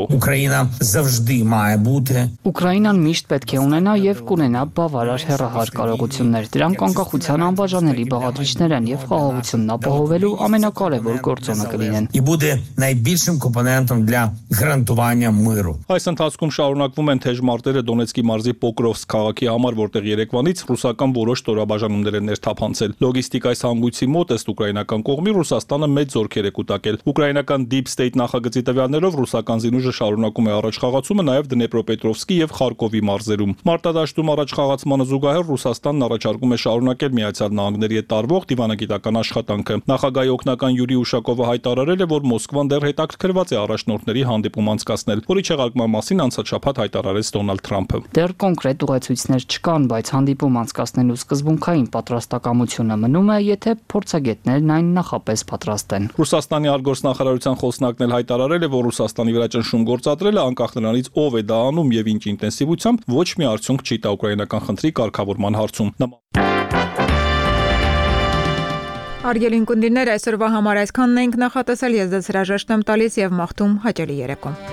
Ուկրաինան միշտ պետք է ունենա եւ կունենա բավարար հեռահար կարողություններ։ Դրանք անկախության անբաժանելի բաղադրիչներ են եւ խաղաղությունն ապահովելու ամենակարևոր գործոնը կլինեն։ Այս ընթացքում շարունակվում են թեժ մարտերը Դոնեցկի մարզի Պոկրովսկ քաղաքի համար, որտեղ երեկվանից ռուսական որոշ ստորաբաժանումներ են ներթափանցել։ Լոգիստիկայի հանգույցի մոտ ըստ ուկրաինական կողմի Ռուսաստանը մեծ զորքեր է կուտակել։ Ուկրաինական Deep State նախագծի տվյալներով ռուսական զինուժը շարունակում է առաջխաղացումը նաև Դնեպրոպետրովսկի եւ Խարկովի մարզերում։ Մարտադաշտում առաջխաղացմանը զուգահեռ Ռուսաստանն առաջարկում է շարունակել Միացյալ Նահանգների հետ տարվող դիվանագիտական աշխատանքը։ Նախագահի օգնական Յուրի Ուշակովը հայտարարել է, որ Մոսկվան դեռ հետաքրքրված է առաջնորդների հանդիպում անցկացնել, որի չեղարկման մասին անցած շաբաթ հայտարարեց Դոնալդ Թրամփը։ Դեռ կոնկրետ ուղեցույցներ չկան, բայց հանդիպում անցկացնելու սկզբունքային պատրաստակամությունը մնում է, եթե փորձագետներն այն նախապես պատրաստ են։ Ռուսաստանի արտգործնախարարության խոսնակն էլ հայտարարել է, որ Ռուսաստանի վրա ճնշում գործադրելը անկախ նրանից ով է դա անում եւ ինչ ինտենսիվությամբ ոչ մի արդյունք չի տա ուկրաինական խնդրի կարգավորման հարցում։ Արգելին կունդիրներ այսօրվա համար այսքանն ենք նախատեսել, ես ձեզ հրաժեշտ եմ տալիս եւ մաղթում հաճելի երեկո։